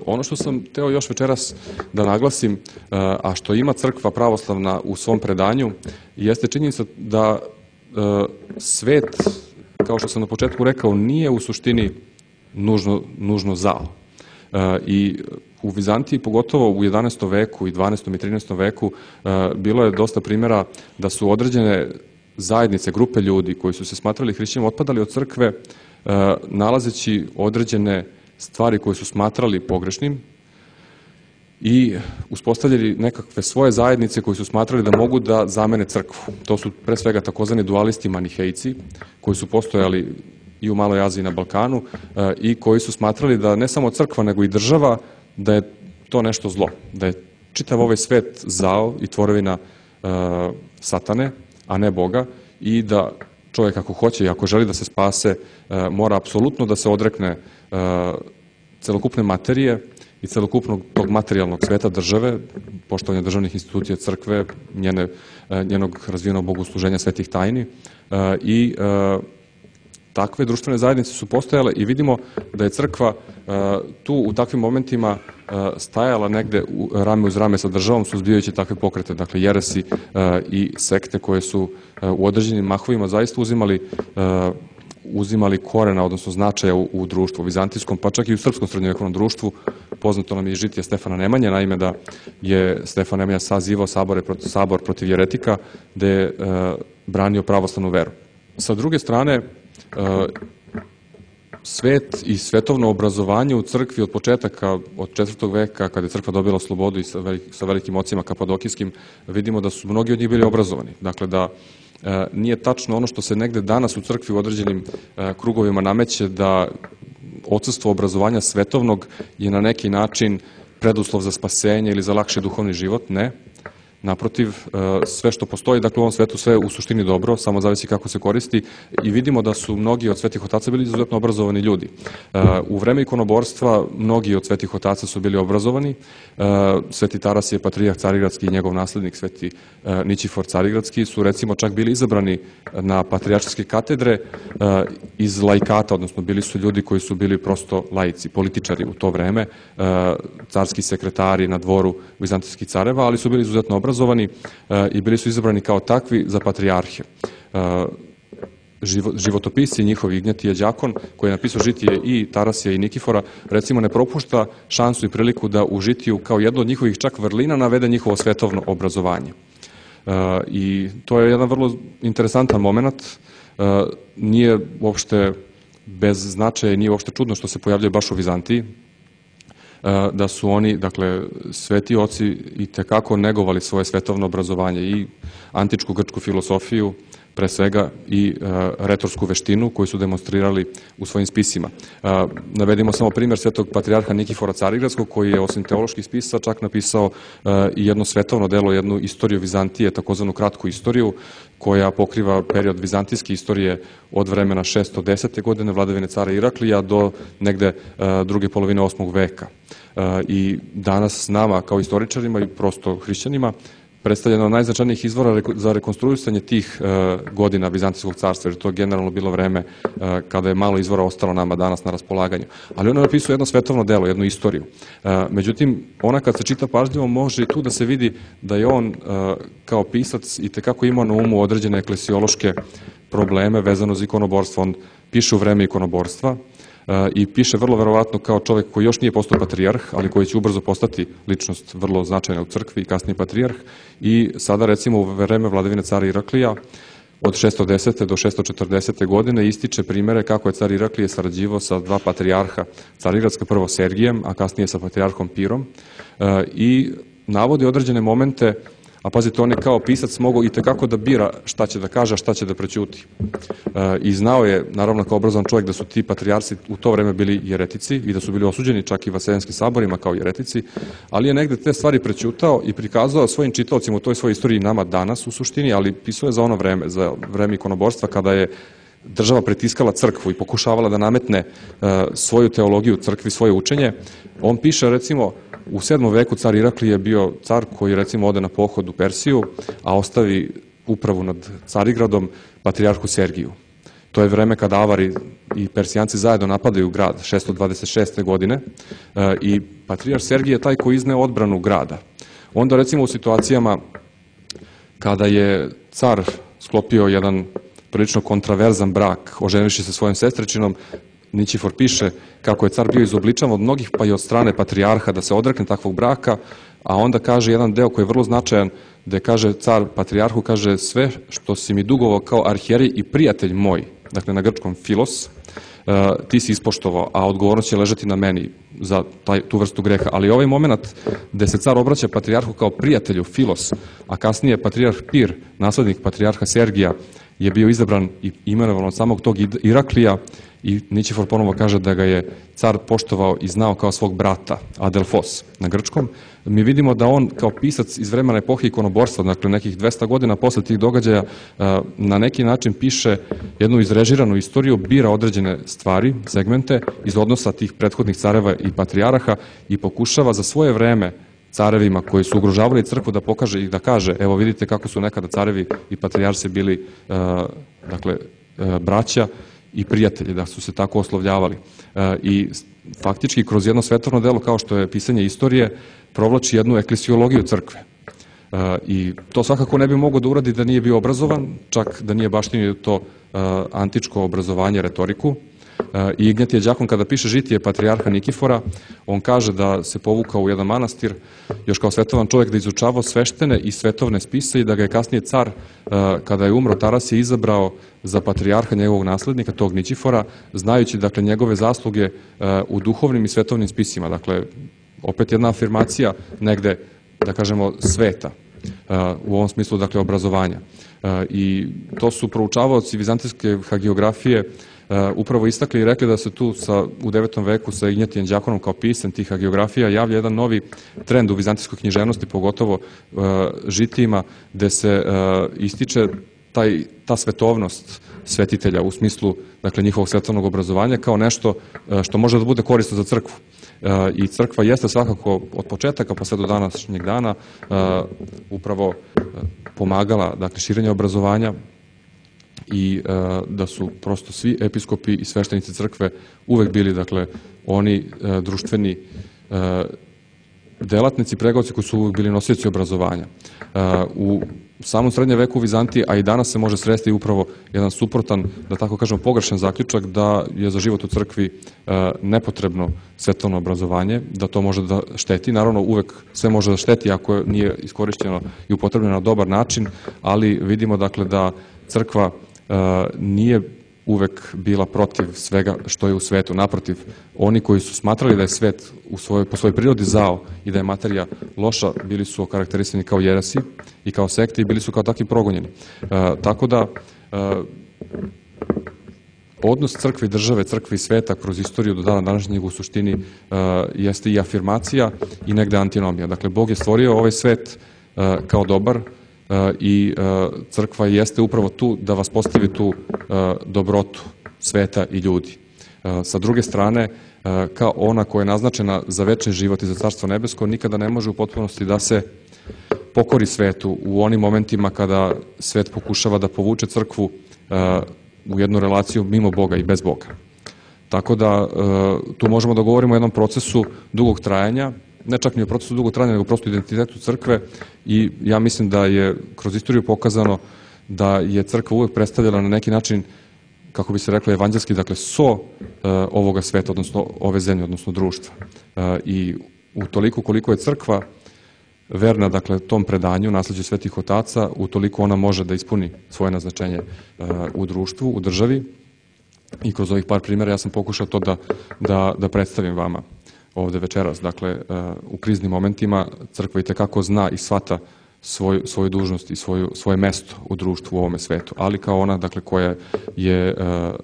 Ono što sam teo još večeras da naglasim, a što ima crkva pravoslavna u svom predanju, jeste činjenica da svet, kao što sam na početku rekao, nije u suštini nužno, nužno zao. I u Vizantiji, pogotovo u jedanaestom veku i dvanaestom i trinaestom veku, bilo je dosta primjera da su određene zajednice, grupe ljudi koji su se smatrali hrišćanima otpadali od crkve, nalazeći određene stvari koje su smatrali pogrešnim i uspostavljali nekakve svoje zajednice koji su smatrali da mogu da zamene crkvu. To su pre svega takozvani dualisti manihejci koji su postojali i u Maloj Aziji i na Balkanu i koji su smatrali da ne samo crkva nego i država, da je to nešto zlo, da je čitav ovaj svet zao i tvorevina satane, a ne Boga, i da čovjek ako hoće i ako želi da se spase, mora apsolutno da se odrekne celokupne materije i celokupnog tog materijalnog sveta države, poštovanja državnih institucija, crkve, njene, njenog razvijenog bogosluženja svetih tajni i takve društvene zajednice su postojale i vidimo da je crkva tu u takvim momentima stajala negde rame uz rame sa državom suzbijajući takve pokrete, dakle jeresi i sekte koje su u određenim mahovima zaista uzimali uzimali korena, odnosno značaja u, u društvu, u vizantijskom, pa čak i u srpskom srednjovekovnom društvu. Poznato nam je žitije Stefana Nemanje, naime da je Stefan Nemanja sazivao sabore, sabor protiv jeretika, gde je e, branio pravoslavnu veru. Sa druge strane, e, svet i svetovno obrazovanje u crkvi od početaka, od četvrtog veka, kada je crkva dobila slobodu i sa, velik, sa velikim ocima kapadokijskim, vidimo da su mnogi od njih bili obrazovani. Dakle, da e, nije tačno ono što se negde danas u crkvi u određenim e, krugovima nameće, da odsustvo obrazovanja svetovnog je na neki način preduslov za spasenje ili za lakši duhovni život. Ne. Naprotiv, sve što postoji, dakle u ovom svetu sve u suštini dobro, samo zavisi kako se koristi i vidimo da su mnogi od svetih otaca bili izuzetno obrazovani ljudi. U vreme ikonoborstva mnogi od svetih otaca su bili obrazovani. Sveti Tarasije, patrijarh Carigradski i njegov naslednik Sveti Nićifor Carigradski su recimo čak bili izabrani na patrijarške katedre iz laikata, odnosno bili su ljudi koji su bili prosto laici, političari u to vreme, carski sekretari na dvoru vizantijskih careva, ali su bili izuzetno obrazovani i bili su izabrani kao takvi za patrijarhe. Životopisi njihovi, Ignjatije Đakon, koji je napisao žitije i Tarasija i Nikifora, recimo ne propušta šansu i priliku da u žitiju kao jedno od njihovih čak vrlina navede njihovo svetovno obrazovanje. I to je jedan vrlo interesantan moment. Nije uopšte bez značaja i nije uopšte čudno što se pojavljaju baš u Vizantiji, da su oni, dakle, sveti oci i tekako negovali svoje svetovno obrazovanje i antičku grčku filosofiju, pre svega i e, retorsku veštinu koju su demonstrirali u svojim spisima. E, navedimo samo primjer svetog patrijarha Nikifora Carigradskog, koji je osim teoloških spisa čak napisao e, i jedno svetovno delo, jednu istoriju Vizantije, takozvanu kratku istoriju, koja pokriva period vizantijske istorije od vremena šesto desete godine vladavine cara Iraklija do negde e, druge polovine osmog veka. E, I danas nama kao istoričarima i prosto hrišćanima predstavljeno od najznačajnijih izvora za rekonstruisanje tih e, godina Vizantijskog carstva, jer to je generalno bilo vreme e, kada je malo izvora ostalo nama danas na raspolaganju. Ali ono napisuje jedno svetovno delo, jednu istoriju. E, međutim, ona kad se čita pažljivo može i tu da se vidi da je on e, kao pisac i tekako imao na umu određene eklesiološke probleme vezano za ikonoborstvo. On piše u vreme ikonoborstva i piše vrlo verovatno kao čovjek koji još nije postao patrijarh, ali koji će ubrzo postati ličnost vrlo značajna u crkvi i kasnije patrijarh. I sada recimo u vreme vladavine cara Iraklija od šesto desete do šesto četrdesete godine ističe primere kako je car Iraklije sarađivao sa dva patrijarha Carigradska, prvo Sergijem, a kasnije sa patrijarhom Pirom, i navodi određene momente. A pazite, on je kao pisac mogao i tekako da bira šta će da kaže, a šta će da prećuti. E, I znao je, naravno kao obrazovan čovjek, da su ti patrijarsi u to vreme bili jeretici i da su bili osuđeni čak i vaseljenskim saborima kao jeretici, ali je negde te stvari prećutao i prikazao svojim čitaocima u toj svojoj istoriji, nama danas u suštini, ali pisao je za ono vreme, za vreme ikonoborstva, kada je država pritiskala crkvu i pokušavala da nametne e, svoju teologiju crkvi, svoje učenje. On piše, recimo, u sedmom veku car Iraklije je bio car koji recimo ode na pohod u Persiju, a ostavi upravu nad Carigradom patrijarhu Sergiju. To je vreme kada Avari i Persijanci zajedno napadaju grad šesto dvadeset šeste godine e, i patrijarh Sergij je taj koji izneo odbranu grada. Onda recimo u situacijama kada je car sklopio jedan prilično kontraverzan brak, oženivši se svojom sestričinom, Nićifor piše kako je car bio izobličan od mnogih, pa i od strane patrijarha, da se odrekne takvog braka, a onda kaže jedan deo koji je vrlo značajan, gde kaže car patrijarhu, kaže, sve što si mi dugovao kao arhijerij i prijatelj moj, dakle na grčkom filos, ti si ispoštovao, a odgovornost će ležati na meni za taj, tu vrstu greha. Ali ovaj moment gde se car obraća patrijarhu kao prijatelju, filos, a kasnije patrijarh Pir, naslednik patrijarha Sergija, je bio izabran i imenovan od samog tog Iraklija, i Nićifor ponovo kaže da ga je car poštovao i znao kao svog brata, Adelfos na grčkom. Mi vidimo da on kao pisac iz vremena epohe ikonoborstva, dakle nekih dvesta godina posle tih događaja, na neki način piše jednu izrežiranu istoriju, bira određene stvari, segmente iz odnosa tih prethodnih careva i patrijaraha i pokušava za svoje vreme carevima koji su ugrožavali crkvu da pokaže i da kaže, evo vidite kako su nekada carevi i patrijarsi bili dakle braća i prijatelji, da su se tako oslovljavali. I faktički kroz jedno svetovno delo kao što je pisanje istorije provlači jednu eklesiologiju crkve. I to svakako ne bi mogao da uradi da nije bio obrazovan, čak da nije baštinio to antičko obrazovanje, retoriku. I Ignjatije Đakon kada piše žitije patrijarha Nikifora, on kaže da se povukao u jedan manastir, još kao svetovan čovjek, da izučavao sveštene i svetovne spise i da ga je kasnije car, kada je umro, Tarasije izabrao za patrijarha njegovog naslednika, tog Nićifora, znajući dakle njegove zasluge u duhovnim i svetovnim spisima. Dakle, opet jedna afirmacija negde, da kažemo, sveta, u ovom smislu, dakle, obrazovanja. I to su proučavaoci vizantijske hagiografije upravo istakli i rekli da se tu sa, u devetom veku sa Ignjatijem Đakonom kao pisem tih hagiografija javlja jedan novi trend u vizantijskoj književnosti, pogotovo žitijima, gde se ističe taj, ta svetovnost svetitelja u smislu, dakle, njihovog svetovnog obrazovanja kao nešto što može da bude korisno za crkvu. I crkva jeste svakako od početaka pa sve do današnjeg dana upravo pomagala, dakle, širenje obrazovanja i da su prosto svi episkopi i sveštenici crkve uvek bili, dakle, oni društveni delatnici, pregovci koji su uvek bili nosioci obrazovanja. U samom srednjem veku u Vizantiji, a i danas se može sresti upravo jedan suprotan, da tako kažemo, pogrešan zaključak da je za život u crkvi nepotrebno svetovno obrazovanje, da to može da šteti. Naravno, uvek sve može da šteti ako nije iskorišćeno i upotrebljeno na dobar način, ali vidimo, dakle, da crkva nije uvek bila protiv svega što je u svetu. Naprotiv, oni koji su smatrali da je svet u svojoj, po svojoj prirodi zao i da je materija loša, bili su okarakterisani kao jeresi i kao sekte i bili su kao takvi progonjeni. E, tako da, e, odnos crkve i države, crkve i sveta kroz istoriju do dana današnjeg u suštini e, jeste i afirmacija i negde antinomija. Dakle, Bog je stvorio ovaj svet e, kao dobar, i crkva jeste upravo tu da vas postavi tu dobrotu sveta i ljudi. Sa druge strane, kao ona koja je naznačena za večni život i za Carstvo nebesko, nikada ne može u potpunosti da se pokori svetu u onim momentima kada svet pokušava da povuče crkvu u jednu relaciju mimo Boga i bez Boga. Tako da tu možemo da govorimo o jednom procesu dugog trajanja, ne čak ni o procesu dugog trajanja, nego prosto identitetu crkve, i ja mislim da je kroz istoriju pokazano da je crkva uvek predstavljala na neki način, kako bi se reklo, evanđelski, dakle, so uh, ovoga sveta, odnosno ove zemlje, odnosno društva. Uh, I u toliko koliko je crkva verna, dakle, tom predanju, nasleđu svetih otaca, u toliko ona može da ispuni svoje naznačenje uh, u društvu, u državi. I kroz ovih par primjera ja sam pokušao to da, da, da predstavim vama ovde večeras. Dakle, u kriznim momentima crkva itekako zna i shvata svoju, svoju dužnost i svoju, svoje mesto u društvu u ovome svetu, ali kao ona, dakle, koja je uh,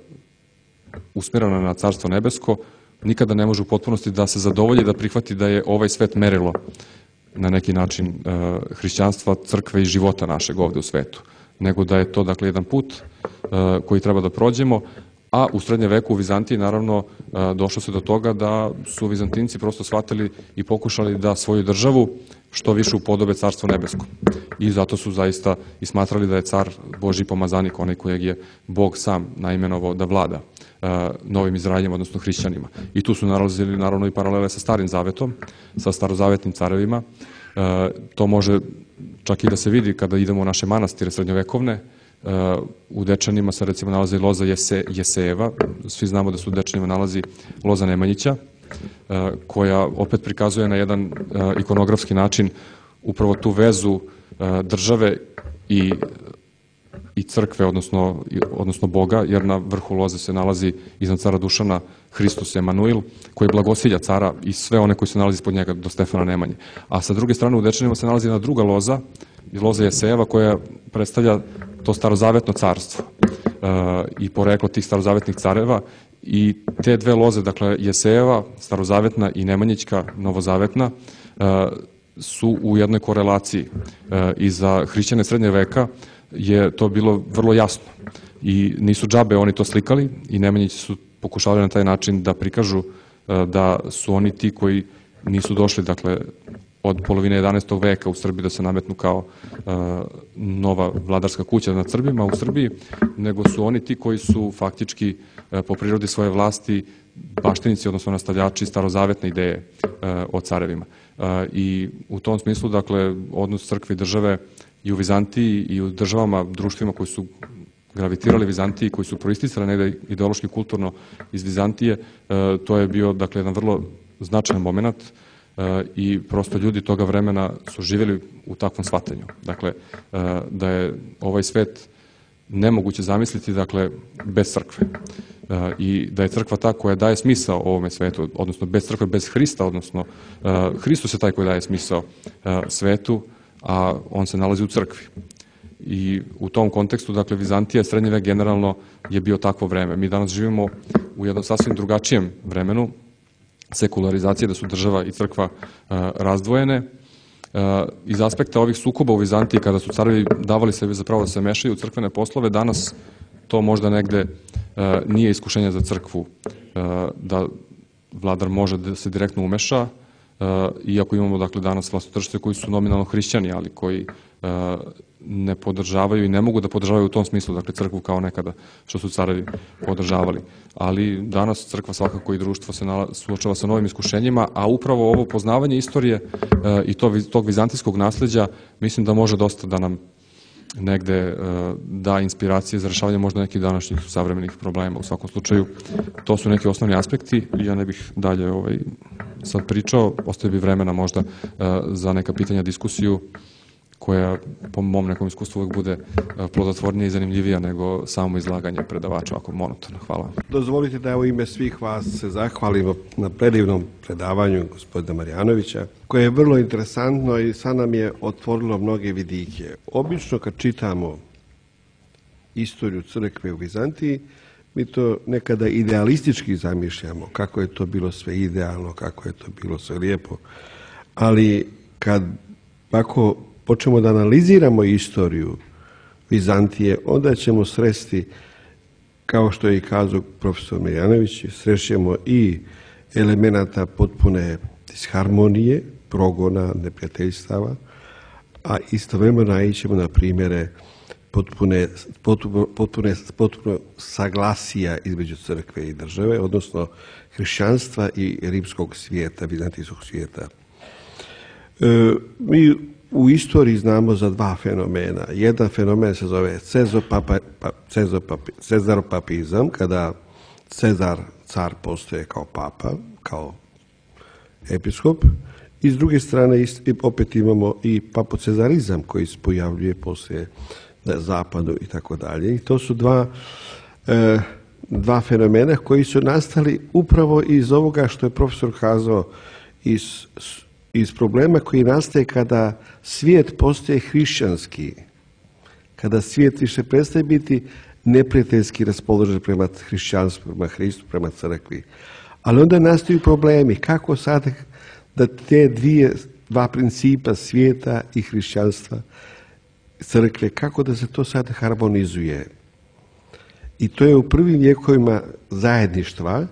usmjerena na Carstvo nebesko, nikada ne može u potpunosti da se zadovolji, da prihvati da je ovaj svet merilo na neki način uh, hrišćanstva, crkve i života našeg ovde u svetu, nego da je to, dakle, jedan put uh, koji treba da prođemo. A u srednjem veku u Vizantiji, naravno, došlo se do toga da su Vizantinci prosto shvatili i pokušali da svoju državu što više upodobe Carstvo nebesko. I zato su zaista i smatrali da je car Božji pomazanik, onaj kojeg je Bog sam naimenovao da vlada novim Izraeljem, odnosno hrišćanima. I tu su nalazili, naravno, i paralele sa Starim zavetom, sa starozavetnim carevima. To može čak i da se vidi kada idemo u naše manastire srednjovekovne. U Dečanima se, recimo, nalazi loza Jese, Jesejeva. Svi znamo da se u Dečanima nalazi loza Nemanjića, koja opet prikazuje na jedan ikonografski način upravo tu vezu države i, i crkve, odnosno, odnosno Boga, jer na vrhu loze se nalazi iznad cara Dušana Hristos Emanuil, koji blagosilja cara i sve one koji se nalazi ispod njega do Stefana Nemanje. A sa druge strane u Dečanima se nalazi jedna druga loza, loza Jesejeva, koja predstavlja to starozavetno carstvo uh, i poreklo tih starozavetnih careva i te dve loze, dakle Jesejeva, starozavetna i Nemanjićka, novozavetna, su u jednoj korelaciji i za hrišćane srednjeg veka je to bilo vrlo jasno i nisu džabe oni to slikali i Nemanjići su pokušavali na taj način da prikažu da su oni ti koji nisu došli, dakle, od polovine jedanaestog veka u Srbiji da se nametnu kao nova vladarska kuća nad Srbima u Srbiji, nego su oni ti koji su faktički po prirodi svoje vlasti baštinici, odnosno nastavljači starozavetne ideje o carevima. I u tom smislu, dakle, odnos crkve i države i u Vizantiji i u državama, društvima koji su gravitirali Vizantiji, koji su proisticali negde ideološki kulturno iz Vizantije, to je bio, dakle, jedan vrlo značajan moment i prosto ljudi toga vremena su živjeli u takvom shvatanju. Dakle, da je ovaj svet nemoguće zamisliti, dakle, bez crkve. I da je crkva ta koja daje smisao ovome svetu, odnosno bez crkve, bez Hrista, odnosno Hristos je taj koji daje smisao svetu, a on se nalazi u crkvi. I u tom kontekstu, dakle, Vizantija, srednji vek generalno je bio takvo vreme. Mi danas živimo u jednom sasvim drugačijem vremenu, sekularizacije, da su država i crkva razdvojene. Iz aspekta ovih sukoba u Vizantiji, kada su carevi davali sebi zapravo da se mešaju u crkvene poslove, danas to možda negde nije iskušenje za crkvu da vladar može da se direktno umeša, iako imamo, dakle, danas vlastodržce koji su nominalno hrišćani, ali koji ne podržavaju i ne mogu da podržavaju u tom smislu, dakle, crkvu kao nekada što su carevi podržavali. Ali danas crkva svakako i društvo se suočava sa novim iskušenjima, a upravo ovo poznavanje istorije i tog vizantijskog nasleđa mislim da može dosta da nam negde da inspiracije za rešavanje možda nekih današnjih savremenih problema. U svakom slučaju, to su neki osnovni aspekti. Ja ne bih dalje ovaj, sad pričao, ostaje bi vremena možda za neka pitanja, diskusiju, koja po mom nekom iskustvu uvijek bude plodotvornija i zanimljivija nego samo izlaganje predavača, ako monotono. Hvala. Dozvolite da u ime svih vas se zahvalimo na predivnom predavanju gospodina Marjanovića, koje je vrlo interesantno i sad nam je otvorilo mnoge vidike. Obično kad čitamo istoriju crkve u Vizantiji, mi to nekada idealistički zamišljamo, kako je to bilo sve idealno, kako je to bilo sve lijepo, ali kad ako počnemo da analiziramo istoriju Vizantije, onda ćemo sresti, kao što je i kazao profesor Marjanović, srećemo i elemenata potpune disharmonije, progona, neprijateljstava, a istovremeno naićemo na primjere potpune, potpuno, potpune, potpuno saglasija između crkve i države, odnosno hrišćanstva i rimskog svijeta, vizantijskog svijeta. E, mi u istoriji znamo za dva fenomena. Jedan fenomen se zove cezaropapizam, kada Cezar, car, postoje kao papa, kao episkop, i s druge strane opet imamo i papocezarizam koji se pojavljuje poslije na zapadu i tako dalje. I to su dva, e, dva fenomena koji su nastali upravo iz ovoga što je profesor kazao, iz iz problema koji nastaje kada svijet postaje hrišćanski, kada svijet više prestaje biti neprijateljski raspoložen prema hrišćanstvu, prema Hristu, prema crkvi. Ali onda nastaju problemi kako sad da te dvije, dva principa svijeta i hrišćanstva, crkve, kako da se to sad harmonizuje. I to je u prvim vijekovima zajedništva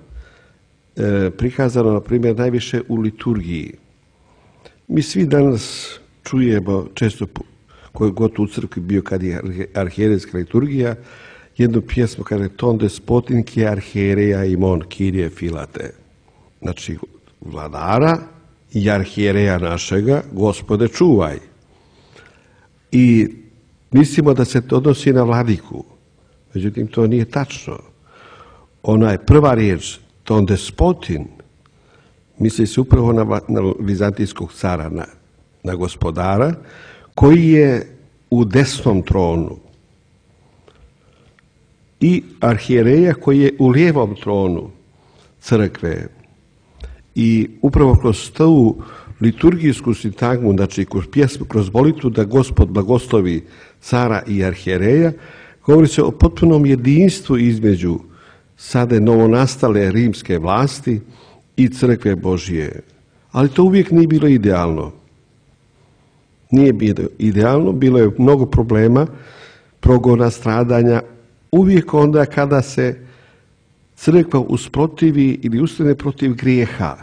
e, prikazano, na primjer, najviše u liturgiji. Mi svi danas čujemo, često koji god u crkvi bio kad je arhijerejska liturgija, jednu pjesmu kaže ton despotin ki arhijereja imon kirije filate. Znači, vladara i arhijereja našega, Gospode čuvaj. I mislimo da se to odnosi na vladiku. Međutim, to nije tačno. Ona je prva riječ, ton despotin, misli se upravo na, na vizantijskog cara, na, na gospodara, koji je u desnom tronu. I arhijereja koji je u lijevom tronu crkve. I upravo kroz tu liturgijsku sintagmu, znači kroz pjesmu, kroz molitvu da Gospod blagoslovi cara i arhijereja, govori se o potpunom jedinstvu između sada novonastale rimske vlasti i crkve Božije. Ali to uvijek nije bilo idealno. Nije bilo idealno, bilo je mnogo problema, progona, stradanja. Uvijek onda kada se crkva usprotivi ili ustane protiv grijeha,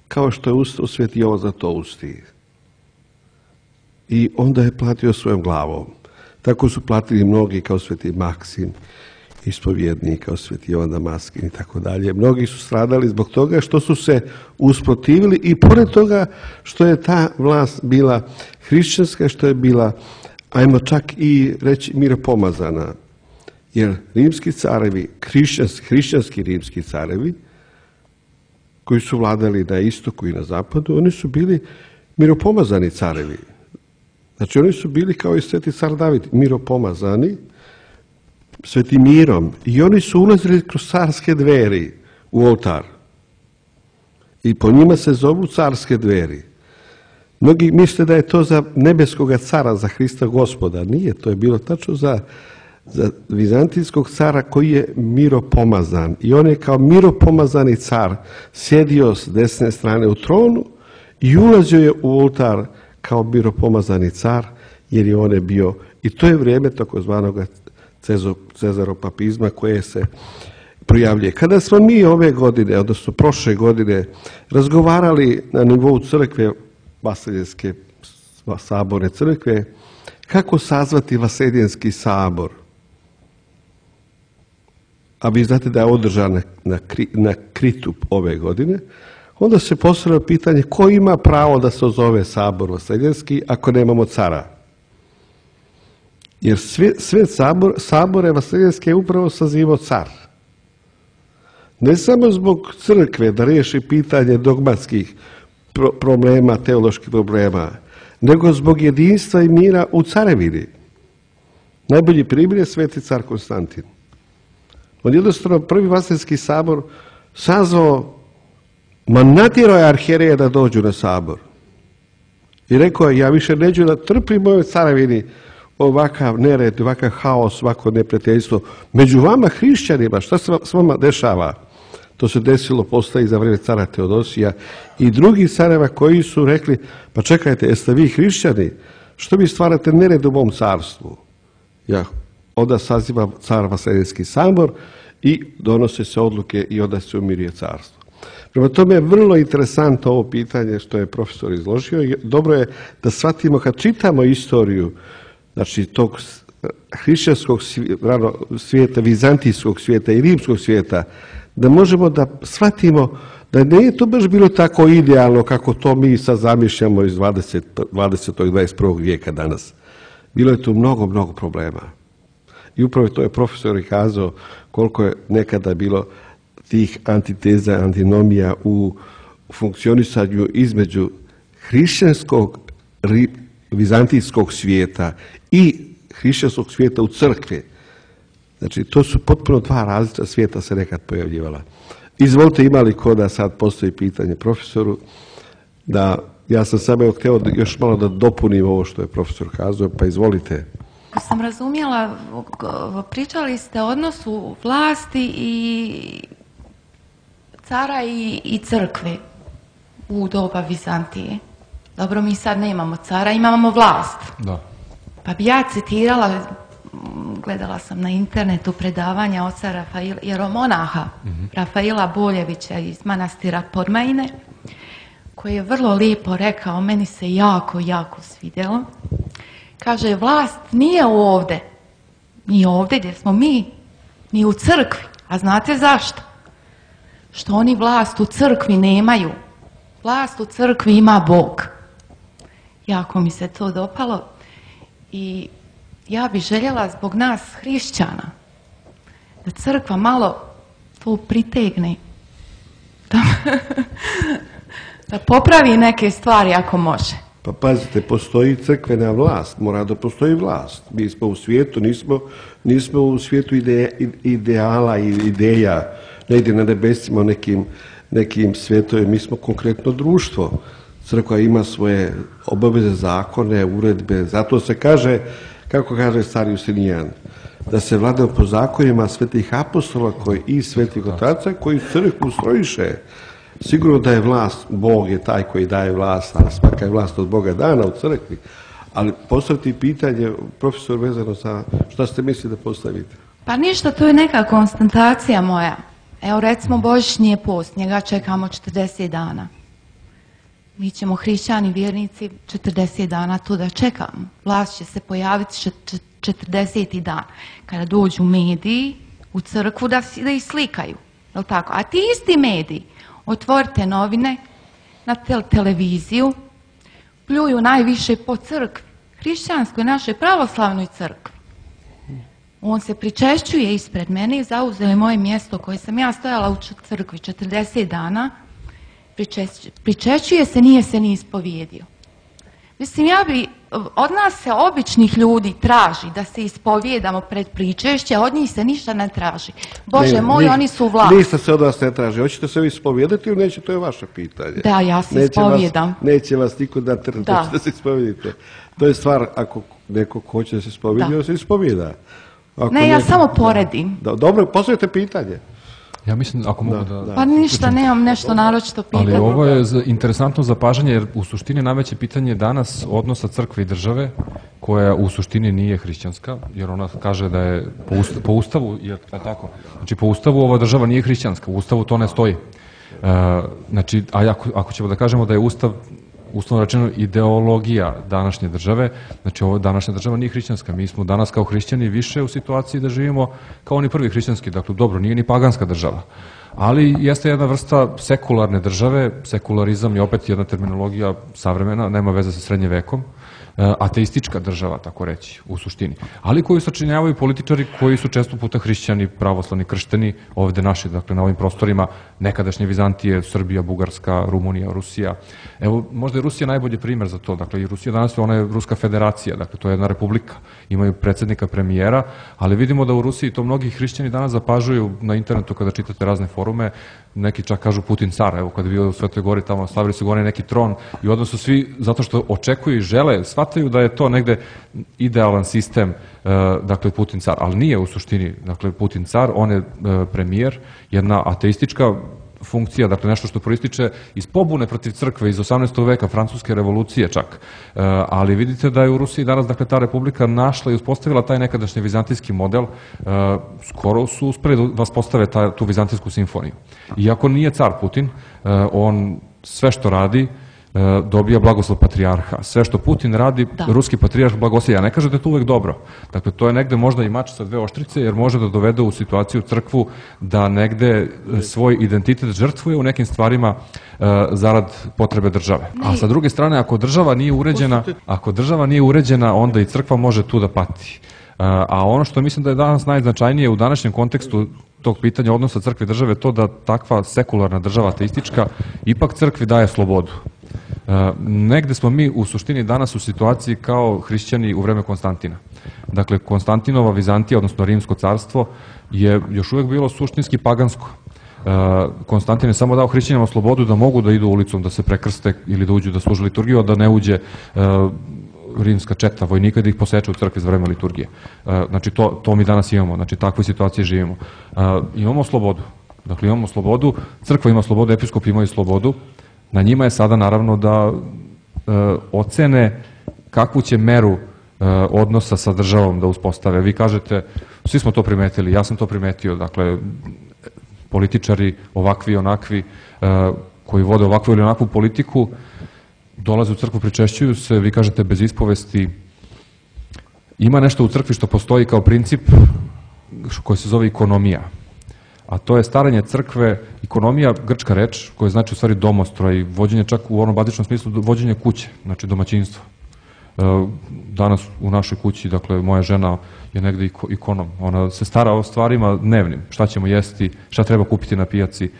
kao što je ustao Sveti Jovan Zlatousti. I onda je platio svojom glavom. Tako su platili mnogi kao Sveti Maksim, ispovjednik, kao Sveti Jovan Damaskin i tako dalje. Mnogi su stradali zbog toga što su se usprotivili i pored toga što je ta vlast bila hrišćanska, što je bila, ajmo čak i reći, miropomazana. Jer rimski carevi, hrišćanski, hrišćanski rimski carevi, koji su vladali na istoku i na zapadu, oni su bili miropomazani carevi. Znači oni su bili kao i Sveti car David, miropomazani, Svetim mirom. I oni su ulazili kroz carske dveri u oltar. I po njima se zovu carske dveri. Mnogi misle da je to za nebeskoga cara, za Hrista Gospoda. Nije, to je bilo tačno za, za vizantijskog cara koji je miropomazan. I on je kao miropomazani car sjedio s desne strane u tronu i ulazio je u oltar kao miropomazani car, jer je on je bio, i to je vrijeme takozvanog cezaropapizma koje se projavljuje. Kada smo mi ove godine, odnosno prošle godine, razgovarali na nivou crkve, Vaseljenske saborne crkve, kako sazvati Vaseljenski sabor, a vi znate da je održan na, na, na Kritu ove godine, onda se postavlja pitanje ko ima pravo da se zove sabor Vaseljenski ako nemamo cara. Jer sve, sve sabor, sabore Vaseljenske je upravo sazivao car. Ne samo zbog crkve da riješi pitanje dogmatskih pro, problema, teoloških problema, nego zbog jedinstva i mira u carevini. Najbolji primjer je Sveti car Konstantin. On jednostavno prvi Vaseljenski sabor sazvao, ma natjerao je arhijereje da dođu na sabor. I rekao je, ja više neću da trpim u ovoj carevini ovakav nered, ovakav haos, ovako neprijateljstvo. Među vama hrišćanima, šta se s vama dešava? To se desilo poslije za vrijeme cara Teodosija i drugih careva koji su rekli, pa čekajte, jeste vi hrišćani? Što vi stvarate nered u mom carstvu? Ja, onda saziva car Vaseljenski sabor i donose se odluke i onda se umiruje carstvo. Prema tome je vrlo interesantno ovo pitanje što je profesor izložio. Dobro je da shvatimo kad čitamo istoriju, znači tog hrišćanskog svijeta, vizantijskog svijeta i rimskog svijeta, da možemo da shvatimo da nije to baš bilo tako idealno kako to mi sad zamišljamo iz dvadesetog i dvadeset prvog vijeka danas. Bilo je tu mnogo, mnogo problema. I upravo to je profesor i kazao koliko je nekada bilo tih antiteza, antinomija u funkcionisanju između hrišćanskog, vizantijskog svijeta i hrišćanskog svijeta u crkvi. Znači, to su potpuno dva različita svijeta se nekad pojavljivala. Izvolite, ima li ko da sad postoji pitanje profesoru, da ja sam samo htio još malo da dopunim ovo što je profesor kazao, pa izvolite. Ako sam razumjela, pričali ste o odnosu vlasti i cara i, i crkve u doba Vizantije. Dobro, mi sad nemamo cara, imamo vlast. Da. Pa bi ja citirala, gledala sam na internetu predavanja oca Rafaila, jeromonaha mm-hmm. Rafaila Boljevića iz manastira Podmajine, koji je vrlo lijepo rekao, meni se jako, jako svidjelo. Kaže, vlast nije ovdje, ni ovdje gdje smo mi, ni u crkvi. A znate zašto? Što oni vlast u crkvi nemaju. Vlast u crkvi ima Bog. Jako mi se to dopalo i ja bih željela zbog nas hrišćana da crkva malo to pritegne, da, da popravi neke stvari ako može. Pa pazite, postoji crkvena vlast, mora da postoji vlast. Mi smo u svijetu, nismo, nismo u svijetu ide, ideala i ideja, ne ide na nebesima nekim, nekim svjetovima, mi smo konkretno društvo. Crkva ima svoje obaveze, zakone, uredbe, zato se kaže, kako kaže stari Justinijan, da se vladao po zakonima svetih apostola koji, i svetih otaca koji crkvu strojiše. Sigurno da je vlast, Bog je taj koji daje vlast, a svaka je vlast od Boga dana u crkvi. Ali postaviti pitanje, profesor, vezano za šta ste mislili da postavite? Pa ništa, to je neka konstatacija moja. Evo recimo Božićni je post, njega čekamo četrdeset dana. Mi ćemo hrišćani, vjernici, četrdeset dana tu da čekamo. Vlast će se pojaviti četrdeseti dan. Kada dođu mediji u crkvu da, da ih slikaju. Jel tako? A ti isti mediji, otvorite novine, na te televiziju, pljuju najviše po crkvi, hrišćanskoj, našoj pravoslavnoj crkvi. On se pričešćuje ispred mene i zauzeo je moje mjesto koje sam ja stojala u crkvi četrdeset dana. Pričešćuje se, nije se ni ispovijedio. Mislim, ja bi, od nas se običnih ljudi traži da se ispovijedamo pred pričešće, od njih se ništa ne traži. Bože ne, moj, ni, oni su vlast. Ništa se od vas ne traži. Hoćete se vi ispovijedati ili neće, to je vaše pitanje. Da, ja se neće ispovijedam. Vas, neće vas niko da trne da. da se ispovijedite. To je stvar, ako neko hoće da se ispovijedi, da se ispovijeda. Ako ne, ja neko, samo poredim. Da, dobro, postavite pitanje. Ja mislim, ako mogu da... da... Pa ništa, nemam nešto naročito pitanje. Ali ovo je interesantno zapažanje, jer u suštini najveće pitanje danas odnosa crkve i države, koja u suštini nije hrišćanska, jer ona kaže da je po, usta, po ustavu, jer je tako, znači po ustavu ova država nije hrišćanska, u ustavu to ne stoji. Uh, znači, a ako, ako ćemo da kažemo da je ustav, uslovno rečeno, ideologija današnje države, znači ovo današnja država nije hrišćanska. Mi smo danas kao hrišćani više u situaciji da živimo kao oni prvi hrišćanski, dakle dobro, nije ni paganska država. Ali jeste jedna vrsta sekularne države, sekularizam je opet jedna terminologija savremena, nema veze sa srednje vekom, ateistička država, tako reći, u suštini. Ali koju sačinjavaju političari koji su često puta hrišćani, pravoslavni, kršteni, ovde naši, dakle na ovim prostorima nekadašnje Vizantije, Srbija, Bugarska, Rumunija, Rusija. Evo, možda je Rusija najbolji primer za to. Dakle, i Rusija danas, ona je Ruska federacija, dakle, to je jedna republika. Imaju predsjednika, premijera, ali vidimo da u Rusiji to mnogi hrišćani danas zapažuju na internetu kada čitate razne forume, neki čak kažu Putin car, evo kad je bio u Svetoj Gori tamo, stavili su gore neki tron i odmah su svi, zato što očekuju i žele, shvataju da je to negde idealan sistem, dakle Putin car, ali nije u suštini, dakle Putin car, on je premijer, jedna ateistička funkcija, dakle nešto što proističe iz pobune protiv crkve iz osamnaestog veka, francuske revolucije čak. E, ali vidite da je u Rusiji danas, dakle, ta republika našla i uspostavila taj nekadašnji vizantijski model, e, skoro su uspeli da vas postave ta, tu vizantijsku simfoniju. Iako nije car Putin, e, on sve što radi, dobija blagoslov patrijarha. Sve što Putin radi, da. Ruski patrijarh blagoslov. Ja ne kažem da je to uvek dobro. Dakle, to je negde možda i mač sa dve oštrice, jer može da dovede u situaciju crkvu da negde svoj identitet žrtvuje u nekim stvarima uh, zarad potrebe države. A sa druge strane, ako država nije uređena, ako država nije uređena, onda i crkva može tu da pati. Uh, a ono što mislim da je danas najznačajnije u današnjem kontekstu tog pitanja odnosa crkve i države, to da takva sekularna država ateistička ipak crkvi daje slobodu. Uh, negde smo mi u suštini danas u situaciji kao hrišćani u vreme Konstantina. Dakle, Konstantinova Vizantija, odnosno Rimsko carstvo, je još uvek bilo suštinski pagansko. Uh, Konstantin je samo dao hrišćanima slobodu da mogu da idu ulicom, da se prekrste ili da uđu da služe liturgiju, a da ne uđe uh, rimska četa vojnika da ih poseče u crkvi za vreme liturgije. Uh, znači, to, to mi danas imamo, znači takve situacije živimo. Uh, imamo slobodu. Dakle, imamo slobodu, crkva ima slobodu, episkopi imaju slobodu. Na njima je sada naravno da e, ocene kakvu će meru e, odnosa sa državom da uspostave. Vi kažete, svi smo to primetili, ja sam to primetio, dakle, političari ovakvi i onakvi, e, koji vode ovakvu ili onakvu politiku, dolaze u crkvu, pričešćuju se, vi kažete bez ispovesti. Ima nešto u crkvi što postoji kao princip koji se zove ekonomija. A to je staranje crkve, ekonomija, grčka reč, koja znači u stvari domostroj, vođenje čak u onom bazičnom smislu, vođenje kuće, znači domaćinstvo. Danas u našoj kući, dakle, moja žena je negde ikonom. Ona se stara o stvarima dnevnim. Šta ćemo jesti, šta treba kupiti na pijaci,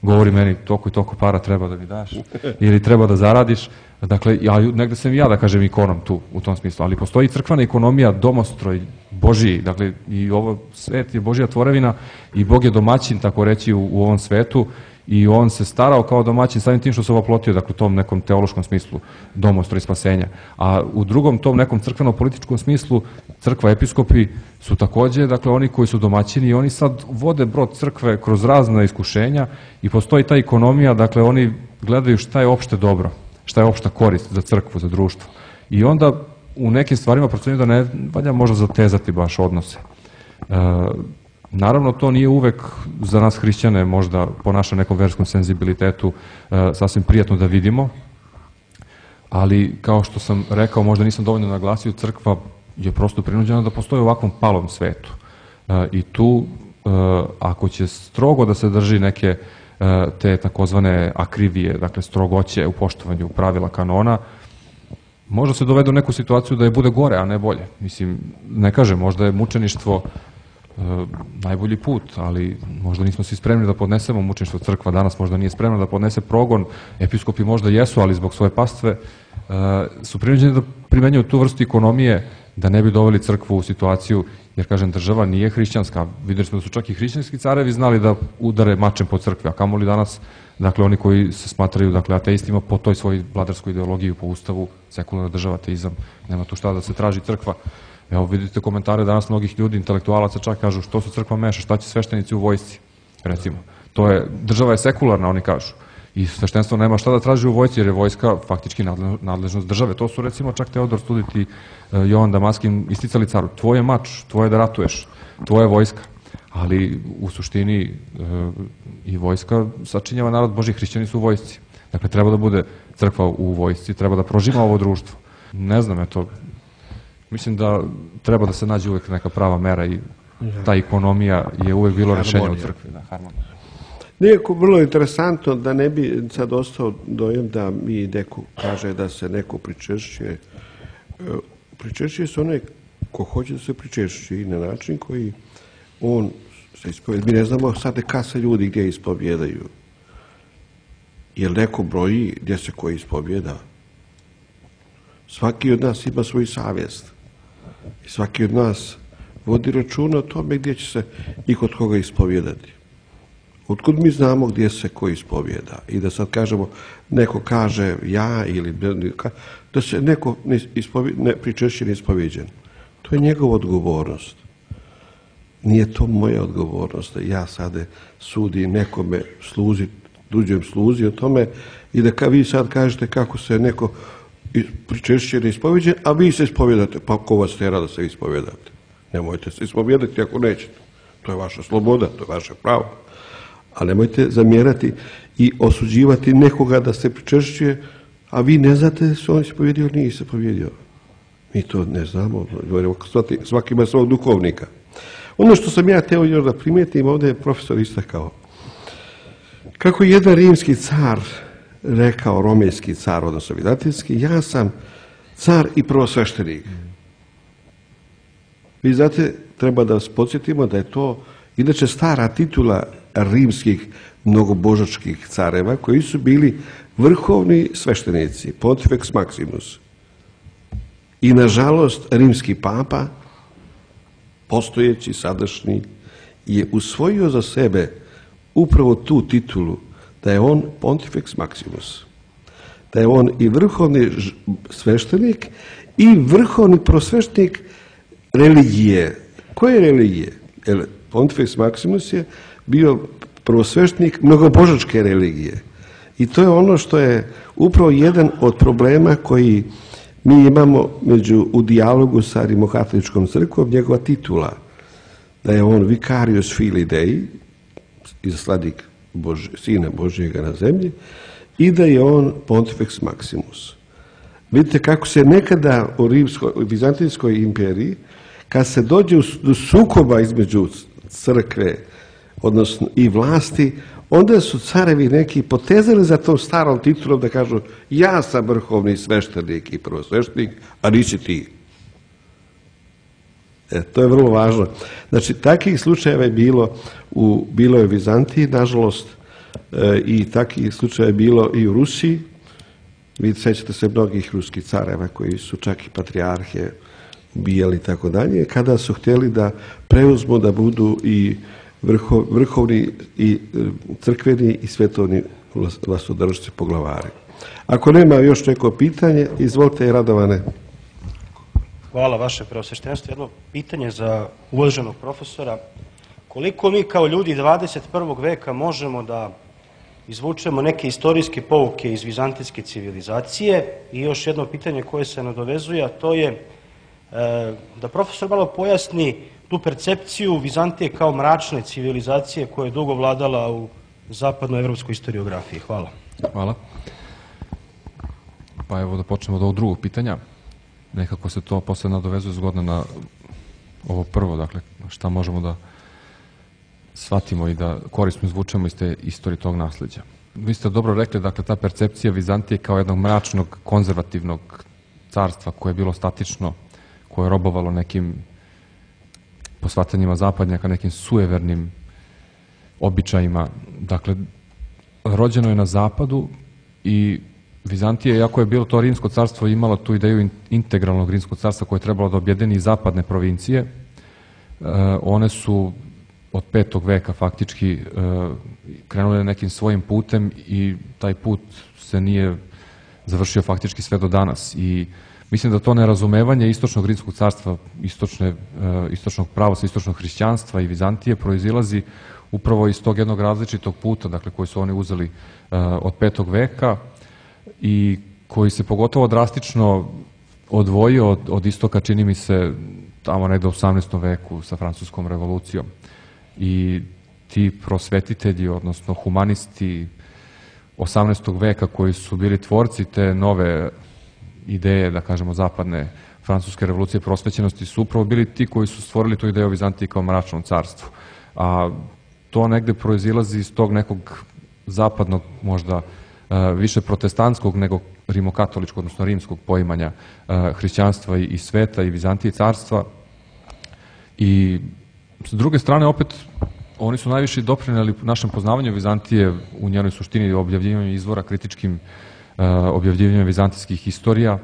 govori meni toliko i toliko para treba da mi daš ili treba da zaradiš. Dakle, ja, negde sam i ja da kažem ikonom tu, u tom smislu, ali postoji crkvena ekonomija, domostroj, Božiji, dakle, i ovo svet je Božja tvorevina i Bog je domaćin, tako reći, u, u ovom svetu i on se starao kao domaćin samim tim što se oplotio, dakle, u tom nekom teološkom smislu domostra i spasenja. A u drugom tom nekom crkveno-političkom smislu crkva, episkopi su takođe, dakle, oni koji su domaćini i oni sad vode brod crkve kroz razna iskušenja i postoji ta ekonomija, dakle, oni gledaju šta je opšte dobro, šta je opšta korist za crkvu, za društvo. I onda u nekim stvarima procenjuju da ne valja možda zatezati baš odnose. E, naravno, to nije uvek za nas hrišćane, možda po našem nekom verskom senzibilitetu e, sasvim prijatno da vidimo, ali kao što sam rekao, možda nisam dovoljno naglasio, crkva je prosto prinuđena da postoji u ovakvom palom svetu. E, I tu, e, ako će strogo da se drži neke e, te takozvane akrivije, dakle strogoće u poštovanju pravila kanona, možda se dovede u neku situaciju da je bude gore, a ne bolje. Mislim, ne kažem, možda je mučeništvo e, najbolji put, ali možda nismo svi spremni da podnesemo mučeništvo. Crkva danas možda nije spremna da podnese progon, episkopi možda jesu, ali zbog svoje pastve e, su prinuđeni da primenjuju tu vrstu ekonomije da ne bi doveli crkvu u situaciju, jer, kažem, država nije hrišćanska. Videli smo da su čak i hrišćanski carevi znali da udare mačem po crkvi, a kamoli danas, dakle, oni koji se smatraju, dakle, ateistima po toj svojoj vladarskoj ideologiji, po ustavu, sekularna država, ateizam, nema tu šta da se traži crkva. Evo, vidite komentare danas mnogih ljudi, intelektualaca čak kažu što se crkva meša, šta će sveštenici u vojsci, recimo. To je, država je sekularna, oni kažu. I sveštenstvo nema šta da traži u vojsci, jer je vojska faktički nadležnost države. To su, recimo, čak Teodor Studit i Jovan Damaskin isticali caru. Tvoj je mač, tvoje da ratuješ, tvoja je vojska. Ali u suštini e, i vojska sačinjava narod Božji, hrišćani su u vojsci. Dakle, treba da bude crkva u vojsci, treba da prožima ovo društvo. Ne znam, eto, mislim da treba da se nađe uvek neka prava mera i ta ekonomija je uvek bilo rešenje u crkvi. Da, harmonija. Nekako vrlo interesantno da ne bi sad ostao dojam da mi neko kaže da se neko pričešćuje. Pričešćuje se onaj ko hoće da se pričešćuje i na način koji on se ispovjeda. Mi ne znamo sad kad se ljudi gdje ispovjedaju. Jer neko broji gdje se koji ispovjeda. Svaki od nas ima svoju savjest. I svaki od nas vodi računa o tome gdje će se i kod koga ispovjedati. Otkud mi znamo gdje se ko ispovjeda? I da sad kažemo, neko kaže ja ili da se neko ne, ne pričešće ne ispovjeđen. To je njegova odgovornost. Nije to moja odgovornost da ja sada sudim nekome sluzi, tuđem sluzi o tome i da ka vi sad kažete kako se neko pričešće ne ispovjeđen, a vi se ispovjedate. Pa ko vas tjera da se ispovjedate? Nemojte se ispovjedati ako nećete. To je vaša sloboda, to je vaše pravo. A nemojte zamjerati i osuđivati nekoga da se pričešćuje, a vi ne znate da se on ispovjedio ili nije se povjedio. Mi to ne znamo. Svaki ima svog duhovnika. Ono što sam ja teo još da primijetim, ovdje je profesor istakao. Kako je jedan rimski car rekao, romejski car, odnosno vizantijski, ja sam car i prvosveštenik. Vi znate, treba da vas podsjetimo da je to inače stara titula rimskih mnogobožačkih careva koji su bili vrhovni sveštenici, Pontifex Maximus. I nažalost rimski papa, postojeći, sadašnji, je usvojio za sebe upravo tu titulu da je on Pontifex Maximus. Da je on i vrhovni sveštenik i vrhovni prosveštenik religije. Koje religije? Pontifex Maximus je bio prvosveštenik mnogobožačke religije. I to je ono što je upravo jedan od problema koji mi imamo među, u dijalogu sa Rimokatoličkom crkvom, njegova titula, da je on Vicarius Filii Dei, izaslanik Bož, Sina Božjega na zemlji, i da je on Pontifex Maximus. Vidite kako se nekada u Rimskoj, u Vizantijskoj imperiji, kad se dođe do sukoba između crkve, odnosno i vlasti, onda su carevi neki potezali za tom starom titulom da kažu ja sam vrhovni sveštenik i prvosveštenik, a nisi ti. E, to je vrlo važno. Znači, takvih slučajeva je bilo u, bilo je u Vizantiji, nažalost, e, i takvih slučajeva je bilo i u Rusiji. Vi sećate se mnogih ruskih careva koji su čak i patrijarhe ubijali i tako dalje, kada su htjeli da preuzmu da budu i vrhovni i crkveni i svetovni vlastodržci poglavari. Ako nema još neko pitanje, izvolite, Radovane. Hvala, vaše preosveštenstvo. Jedno pitanje za uvaženog profesora. Koliko mi kao ljudi dvadeset prvog veka možemo da izvučemo neke istorijske pouke iz vizantijske civilizacije? I još jedno pitanje koje se nadovezuje, a to je da profesor malo pojasni tu percepciju Vizantije kao mračne civilizacije koja je dugo vladala u zapadnoevropskoj historiografiji. Hvala. Hvala. Pa evo da počnemo od ovog drugog pitanja. Nekako se to posle nadovezuje zgodno na ovo prvo, dakle šta možemo da shvatimo i da korisno izvučemo iz te istorije tog nasleđa. Vi ste dobro rekli, dakle ta percepcija Vizantije kao jednog mračnog, konzervativnog carstva koje je bilo statično, koje je robovalo nekim posvatanjima zapadnjaka, nekim sujevernim običajima. Dakle, rođeno je na zapadu i Vizantija, iako je bilo to rimsko carstvo, imala tu ideju integralnog rimskog carstva koje je trebalo da objedini zapadne provincije. One su od petog veka faktički krenule nekim svojim putem i taj put se nije završio faktički sve do danas. I mislim da to nerazumevanje istočnog rimskog carstva, istočne, istočnog pravosa, istočnog hrišćanstva i Vizantije proizilazi upravo iz tog jednog različitog puta, dakle koji su oni uzeli od petog veka i koji se pogotovo drastično odvojio od, od istoka, čini mi se, tamo negde u osamnaestom veku sa francuskom revolucijom. I ti prosvetitelji, odnosno humanisti osamnaestog veka koji su bili tvorci te nove ideje, da kažemo, zapadne francuske revolucije prosvećenosti, su upravo bili ti koji su stvorili tu ideju o Vizantiji kao mračnom carstvu. A to negde proizilazi iz tog nekog zapadnog, možda više protestantskog nego rimokatoličkog, odnosno rimskog poimanja hrišćanstva i sveta i Vizantije carstva. I s druge strane, opet, oni su najviše doprineli našem poznavanju Vizantije u njenoj suštini, objavljivanju izvora, kritičkim objavljivanjem vizantijskih istorija,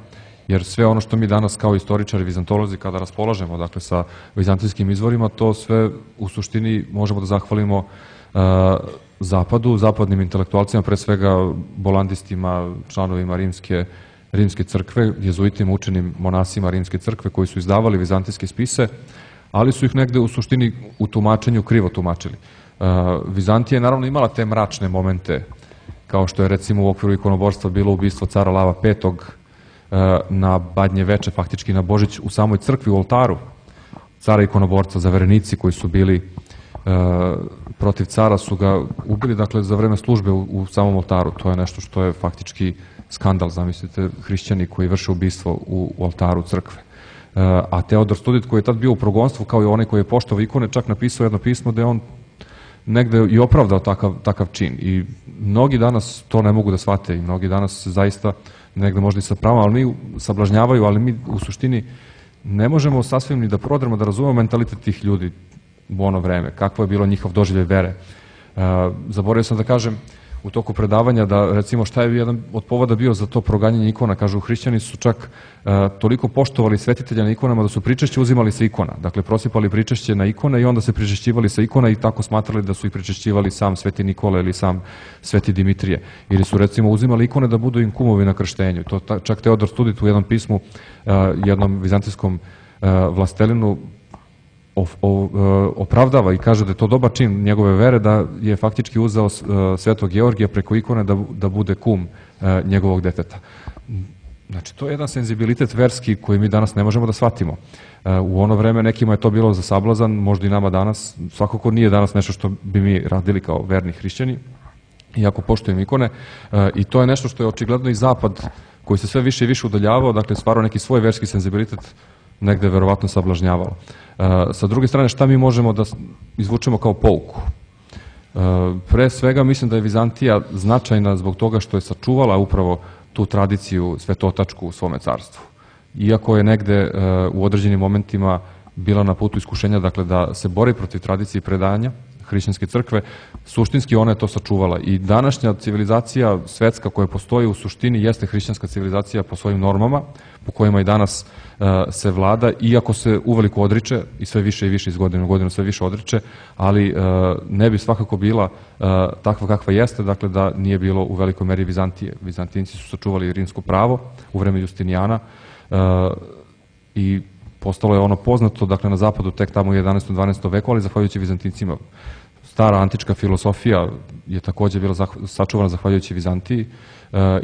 jer sve ono što mi danas kao istoričari, vizantolozi, kada raspolažemo, dakle, sa vizantijskim izvorima, to sve u suštini možemo da zahvalimo Zapadu, zapadnim intelektualcima, pre svega bolandistima, članovima rimske, rimske crkve, jezuitima, učenim monasima rimske crkve koji su izdavali vizantijske spise, ali su ih negde u suštini u tumačenju krivo tumačili. Vizantija je naravno imala te mračne momente, kao što je recimo u okviru ikonoborstva bilo ubistvo cara Lava petog na Badnje veče, faktički na Božić, u samoj crkvi, u oltaru cara ikonoborca, zaverenici koji su bili protiv cara su ga ubili, dakle, za vreme službe u, u samom oltaru. To je nešto što je faktički skandal, zamislite, hrišćani koji vrše ubistvo u, u oltaru crkve. A Teodor Studit, koji je tad bio u progonstvu, kao i onaj koji je poštovao ikone, čak napisao jedno pismo da je on negde i opravdao takav, takav čin. I mnogi danas to ne mogu da shvate i mnogi danas zaista negde možda i sa pravom, ali mi sablažnjavaju, ali mi u suštini ne možemo sasvim ni da prodremo, da razumemo mentalitet tih ljudi u ono vreme, kakvo je bilo njihov doživljaj vere. Zaboravio sam da kažem u toku predavanja da, recimo, šta je jedan od povoda bio za to proganjanje ikona. Kažu, hrišćani su čak toliko poštovali svetitelja na ikonama da su pričešće uzimali sa ikona. Dakle, prosipali pričešće na ikone i onda se pričešćivali sa ikona i tako smatrali da su ih pričešćivali sam Sveti Nikola ili sam Sveti Dimitrije. Ili su, recimo, uzimali ikone da budu im kumovi na krštenju. To čak Teodor Studit u jednom pismu, jednom vizantijskom vlastelinu opravdava i kaže da je to dobar čin njegove vere, da je faktički uzeo Svetog Georgija preko ikone da, da bude kum njegovog deteta. Znači, to je jedan senzibilitet verski koji mi danas ne možemo da shvatimo. U ono vreme nekima je to bilo za sablazan, možda i nama danas, svakako nije danas nešto što bi mi radili kao verni hrišćani, iako poštujem ikone, i to je nešto što je očigledno i Zapad, koji se sve više i više udaljavao, dakle stvarao neki svoj verski senzibilitet, negde verovatno sablažnjavalo. Sa druge strane, šta mi možemo da izvučemo kao pouku? Pre svega, mislim da je Vizantija značajna zbog toga što je sačuvala upravo tu tradiciju svetotačku u svome carstvu. Iako je negde u određenim momentima bila na putu iskušenja, dakle, da se bori protiv tradicije i predanja, hrišćanske crkve, suštinski ona je to sačuvala. I današnja civilizacija svetska koja postoji u suštini jeste hrišćanska civilizacija po svojim normama, po kojima i danas se vlada, iako se uveliko odriče i sve više i više iz godine u godinu sve više odriče, ali ne bi svakako bila takva kakva jeste, dakle da nije bilo u velikoj meri Vizantije. Vizantinci su sačuvali rimsko pravo u vreme Justinijana i postalo je ono poznato, dakle na zapadu tek tamo u jedanaestom dvanaestom veku, ali zahvaljujući Vizantincima. Stara antička filosofija je takođe bila sačuvana zahvaljujući Vizantiji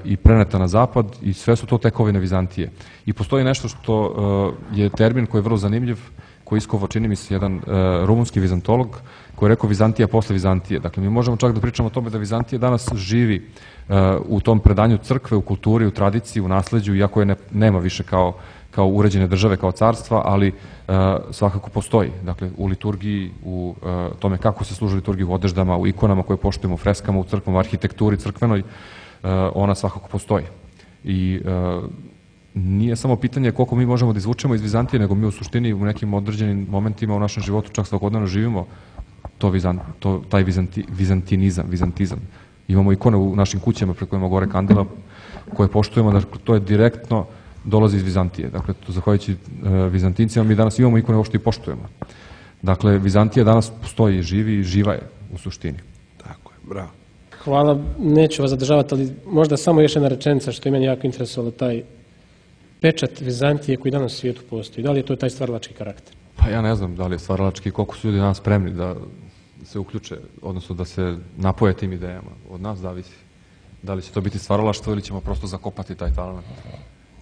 i preneta na zapad i sve su to tekovine Vizantije. I postoji nešto što je termin koji je vrlo zanimljiv, koji iskovo čini mi se jedan rumunski vizantolog koji je rekao Vizantija posle Vizantije. Dakle, mi možemo čak da pričamo o tome da Vizantija danas živi u tom predanju crkve, u kulturi, u tradiciji, u nasleđu, iako je ne, nema više kao kao uređene države, kao carstva, ali uh, svakako postoji. Dakle, u liturgiji, u uh, tome kako se služi liturgiji, u odeždama, u ikonama koje poštujemo, u freskama, u crkvama, u arhitekturi crkvenoj, uh, ona svakako postoji. I uh, nije samo pitanje koliko mi možemo da izvučemo iz Vizantije, nego mi u suštini u nekim određenim momentima u našem životu čak svakodnevno živimo to, vizant, to taj vizanti, vizantinizam, vizantizam. Imamo ikone u našim kućama pred kojima gore kandila koje poštujemo, dakle, to je direktno dolazi iz Vizantije. Dakle, to zahvaljujući uh, Vizantincima mi danas imamo ikone uopšte i poštujemo. Dakle, Vizantija danas postoji, živi i živa je u suštini. Tako je, bravo. Hvala, neću vas zadržavati, ali možda samo još jedna rečenica što je meni jako interesovalo, taj pečat Vizantije koji danas u svijetu postoji. Da li je to taj stvaralački karakter? Pa ja ne znam da li je stvaralački, koliko su ljudi danas spremni da se uključe, odnosno da se napoje tim idejama. Od nas zavisi. Da li će to biti stvaralaštvo ili ćemo prosto zakopati taj talent.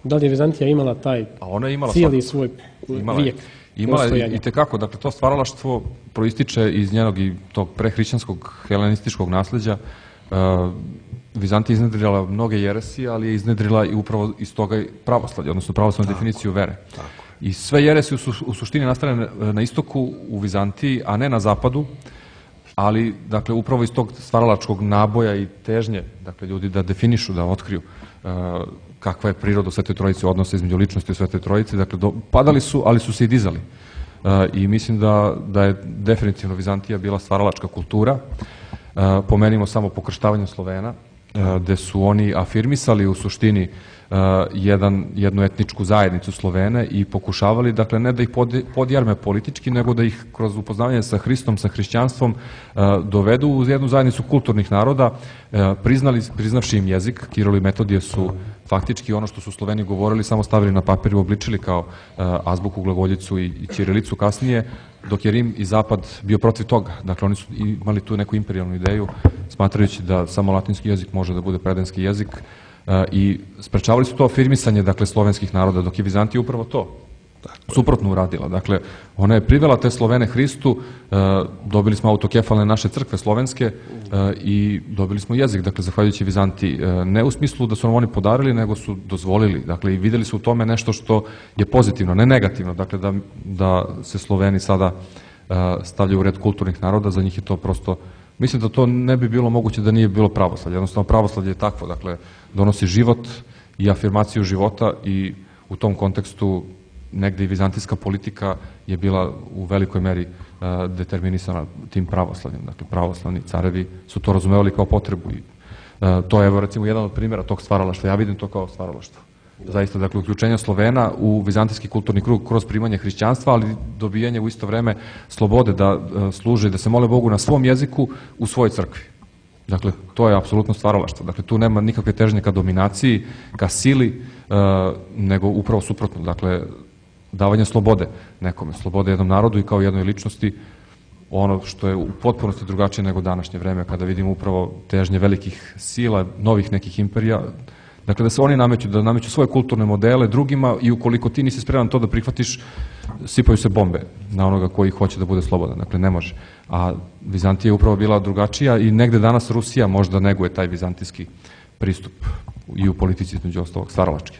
Da li je Vizantija imala taj imala cijeli svoj imala vijek Imala postojanja? I tekako, dakle to stvaralaštvo proističe iz njenog i tog prehrišćanskog helenističkog nasleđa. Uh, Vizantija je iznedrila mnoge jeresije, ali je iznedrila i upravo iz toga pravoslavlje, odnosno pravoslavnu definiciju vere. Tako. I sve jeresije su u suštini nastale na istoku u Vizantiji, a ne na zapadu, ali dakle upravo iz tog stvaralačkog naboja i težnje, dakle ljudi da definišu, da otkriju uh, kakva je priroda u Svetoj Trojici, odnosa između ličnosti u Svetoj Trojici, dakle do, padali su, ali su se i dizali. Uh, I mislim da, da je definitivno Vizantija bila stvaralačka kultura. Uh, pomenimo samo pokrštavanje Slovena, uh, gde su oni afirmisali u suštini uh, jedan, jednu etničku zajednicu Slovene i pokušavali, dakle, ne da ih pod, podjarme politički, nego da ih kroz upoznavanje sa Hristom, sa hrišćanstvom uh, dovedu u jednu zajednicu kulturnih naroda, uh, priznali, priznavši im jezik. Kiril i Metodije su faktički ono što su Sloveni govorili samo stavili na papir i obličili kao uh, azbuku, glagoljicu i, i ćirilicu kasnije, dok je Rim i Zapad bio protiv toga. Dakle, oni su imali tu neku imperijalnu ideju, smatrajući da samo latinski jezik može da bude predanski jezik uh, i sprečavali su to afirmisanje, dakle, slovenskih naroda, dok je Vizantija upravo to suprotno uradila. Dakle, ona je privela te Slovene Hristu, uh, dobili smo autokefalne naše crkve slovenske uh, i dobili smo jezik, dakle, zahvaljujući Vizantiji. Uh, ne u smislu da su nam oni podarili, nego su dozvolili, dakle, i videli su u tome nešto što je pozitivno, ne negativno, dakle, da, da se Sloveni sada uh, stavljaju u red kulturnih naroda, za njih je to prosto, mislim da to ne bi bilo moguće da nije bilo pravoslavlje, jednostavno pravoslavlje je takvo, dakle, donosi život i afirmaciju života i u tom kontekstu negde i vizantijska politika je bila u velikoj meri uh, determinisana tim pravoslavljem. Dakle, pravoslavni carevi su to razumevali kao potrebu i uh, to je, evo, recimo, jedan od primjera tog stvaralaštva. Ja vidim to kao stvaralaštvo. Zaista, dakle, uključenje Slovena u vizantijski kulturni krug kroz primanje hrišćanstva, ali dobijanje u isto vreme slobode da uh, služe, da se mole Bogu na svom jeziku u svojoj crkvi. Dakle, to je apsolutno stvaralaštvo. Dakle, tu nema nikakve težnje ka dominaciji, ka sili, uh, nego upravo suprotno. Dakle, davanje slobode nekome, slobode jednom narodu i kao jednoj ličnosti, ono što je u potpunosti drugačije nego današnje vreme, kada vidimo upravo težnje velikih sila, novih nekih imperija, dakle da se oni nameću, da nameću svoje kulturne modele drugima i ukoliko ti nisi spreman to da prihvatiš, sipaju se bombe na onoga koji hoće da bude slobodan, dakle ne može. A Vizantija je upravo bila drugačija i negde danas Rusija možda neguje taj vizantijski pristup i u politici između ostalog stvaralački.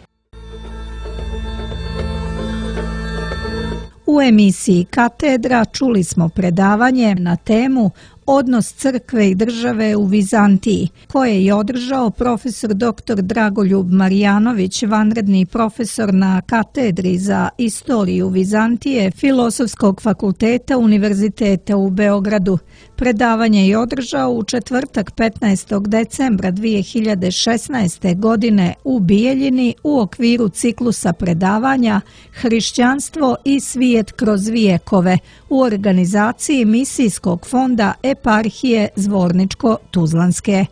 U emisiji Katedra čuli smo predavanje na temu Odnos crkve i države u Vizantiji, koje je održao profesor doktor Dragoljub Marjanović, vanredni profesor na katedri za istoriju Vizantije Filozofskog fakulteta Univerziteta u Beogradu. Predavanje je održao u četvrtak petnaestog decembra dvije hiljade šesnaeste. godine u Bijeljini u okviru ciklusa predavanja Hrišćanstvo i svijet kroz vijekove u organizaciji Misijskog fonda Eparhije Zvorničko-Tuzlanske.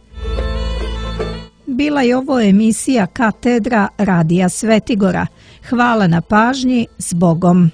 Bila je ovo emisija Katedra Radija Svetigora. Hvala na pažnji, s Bogom.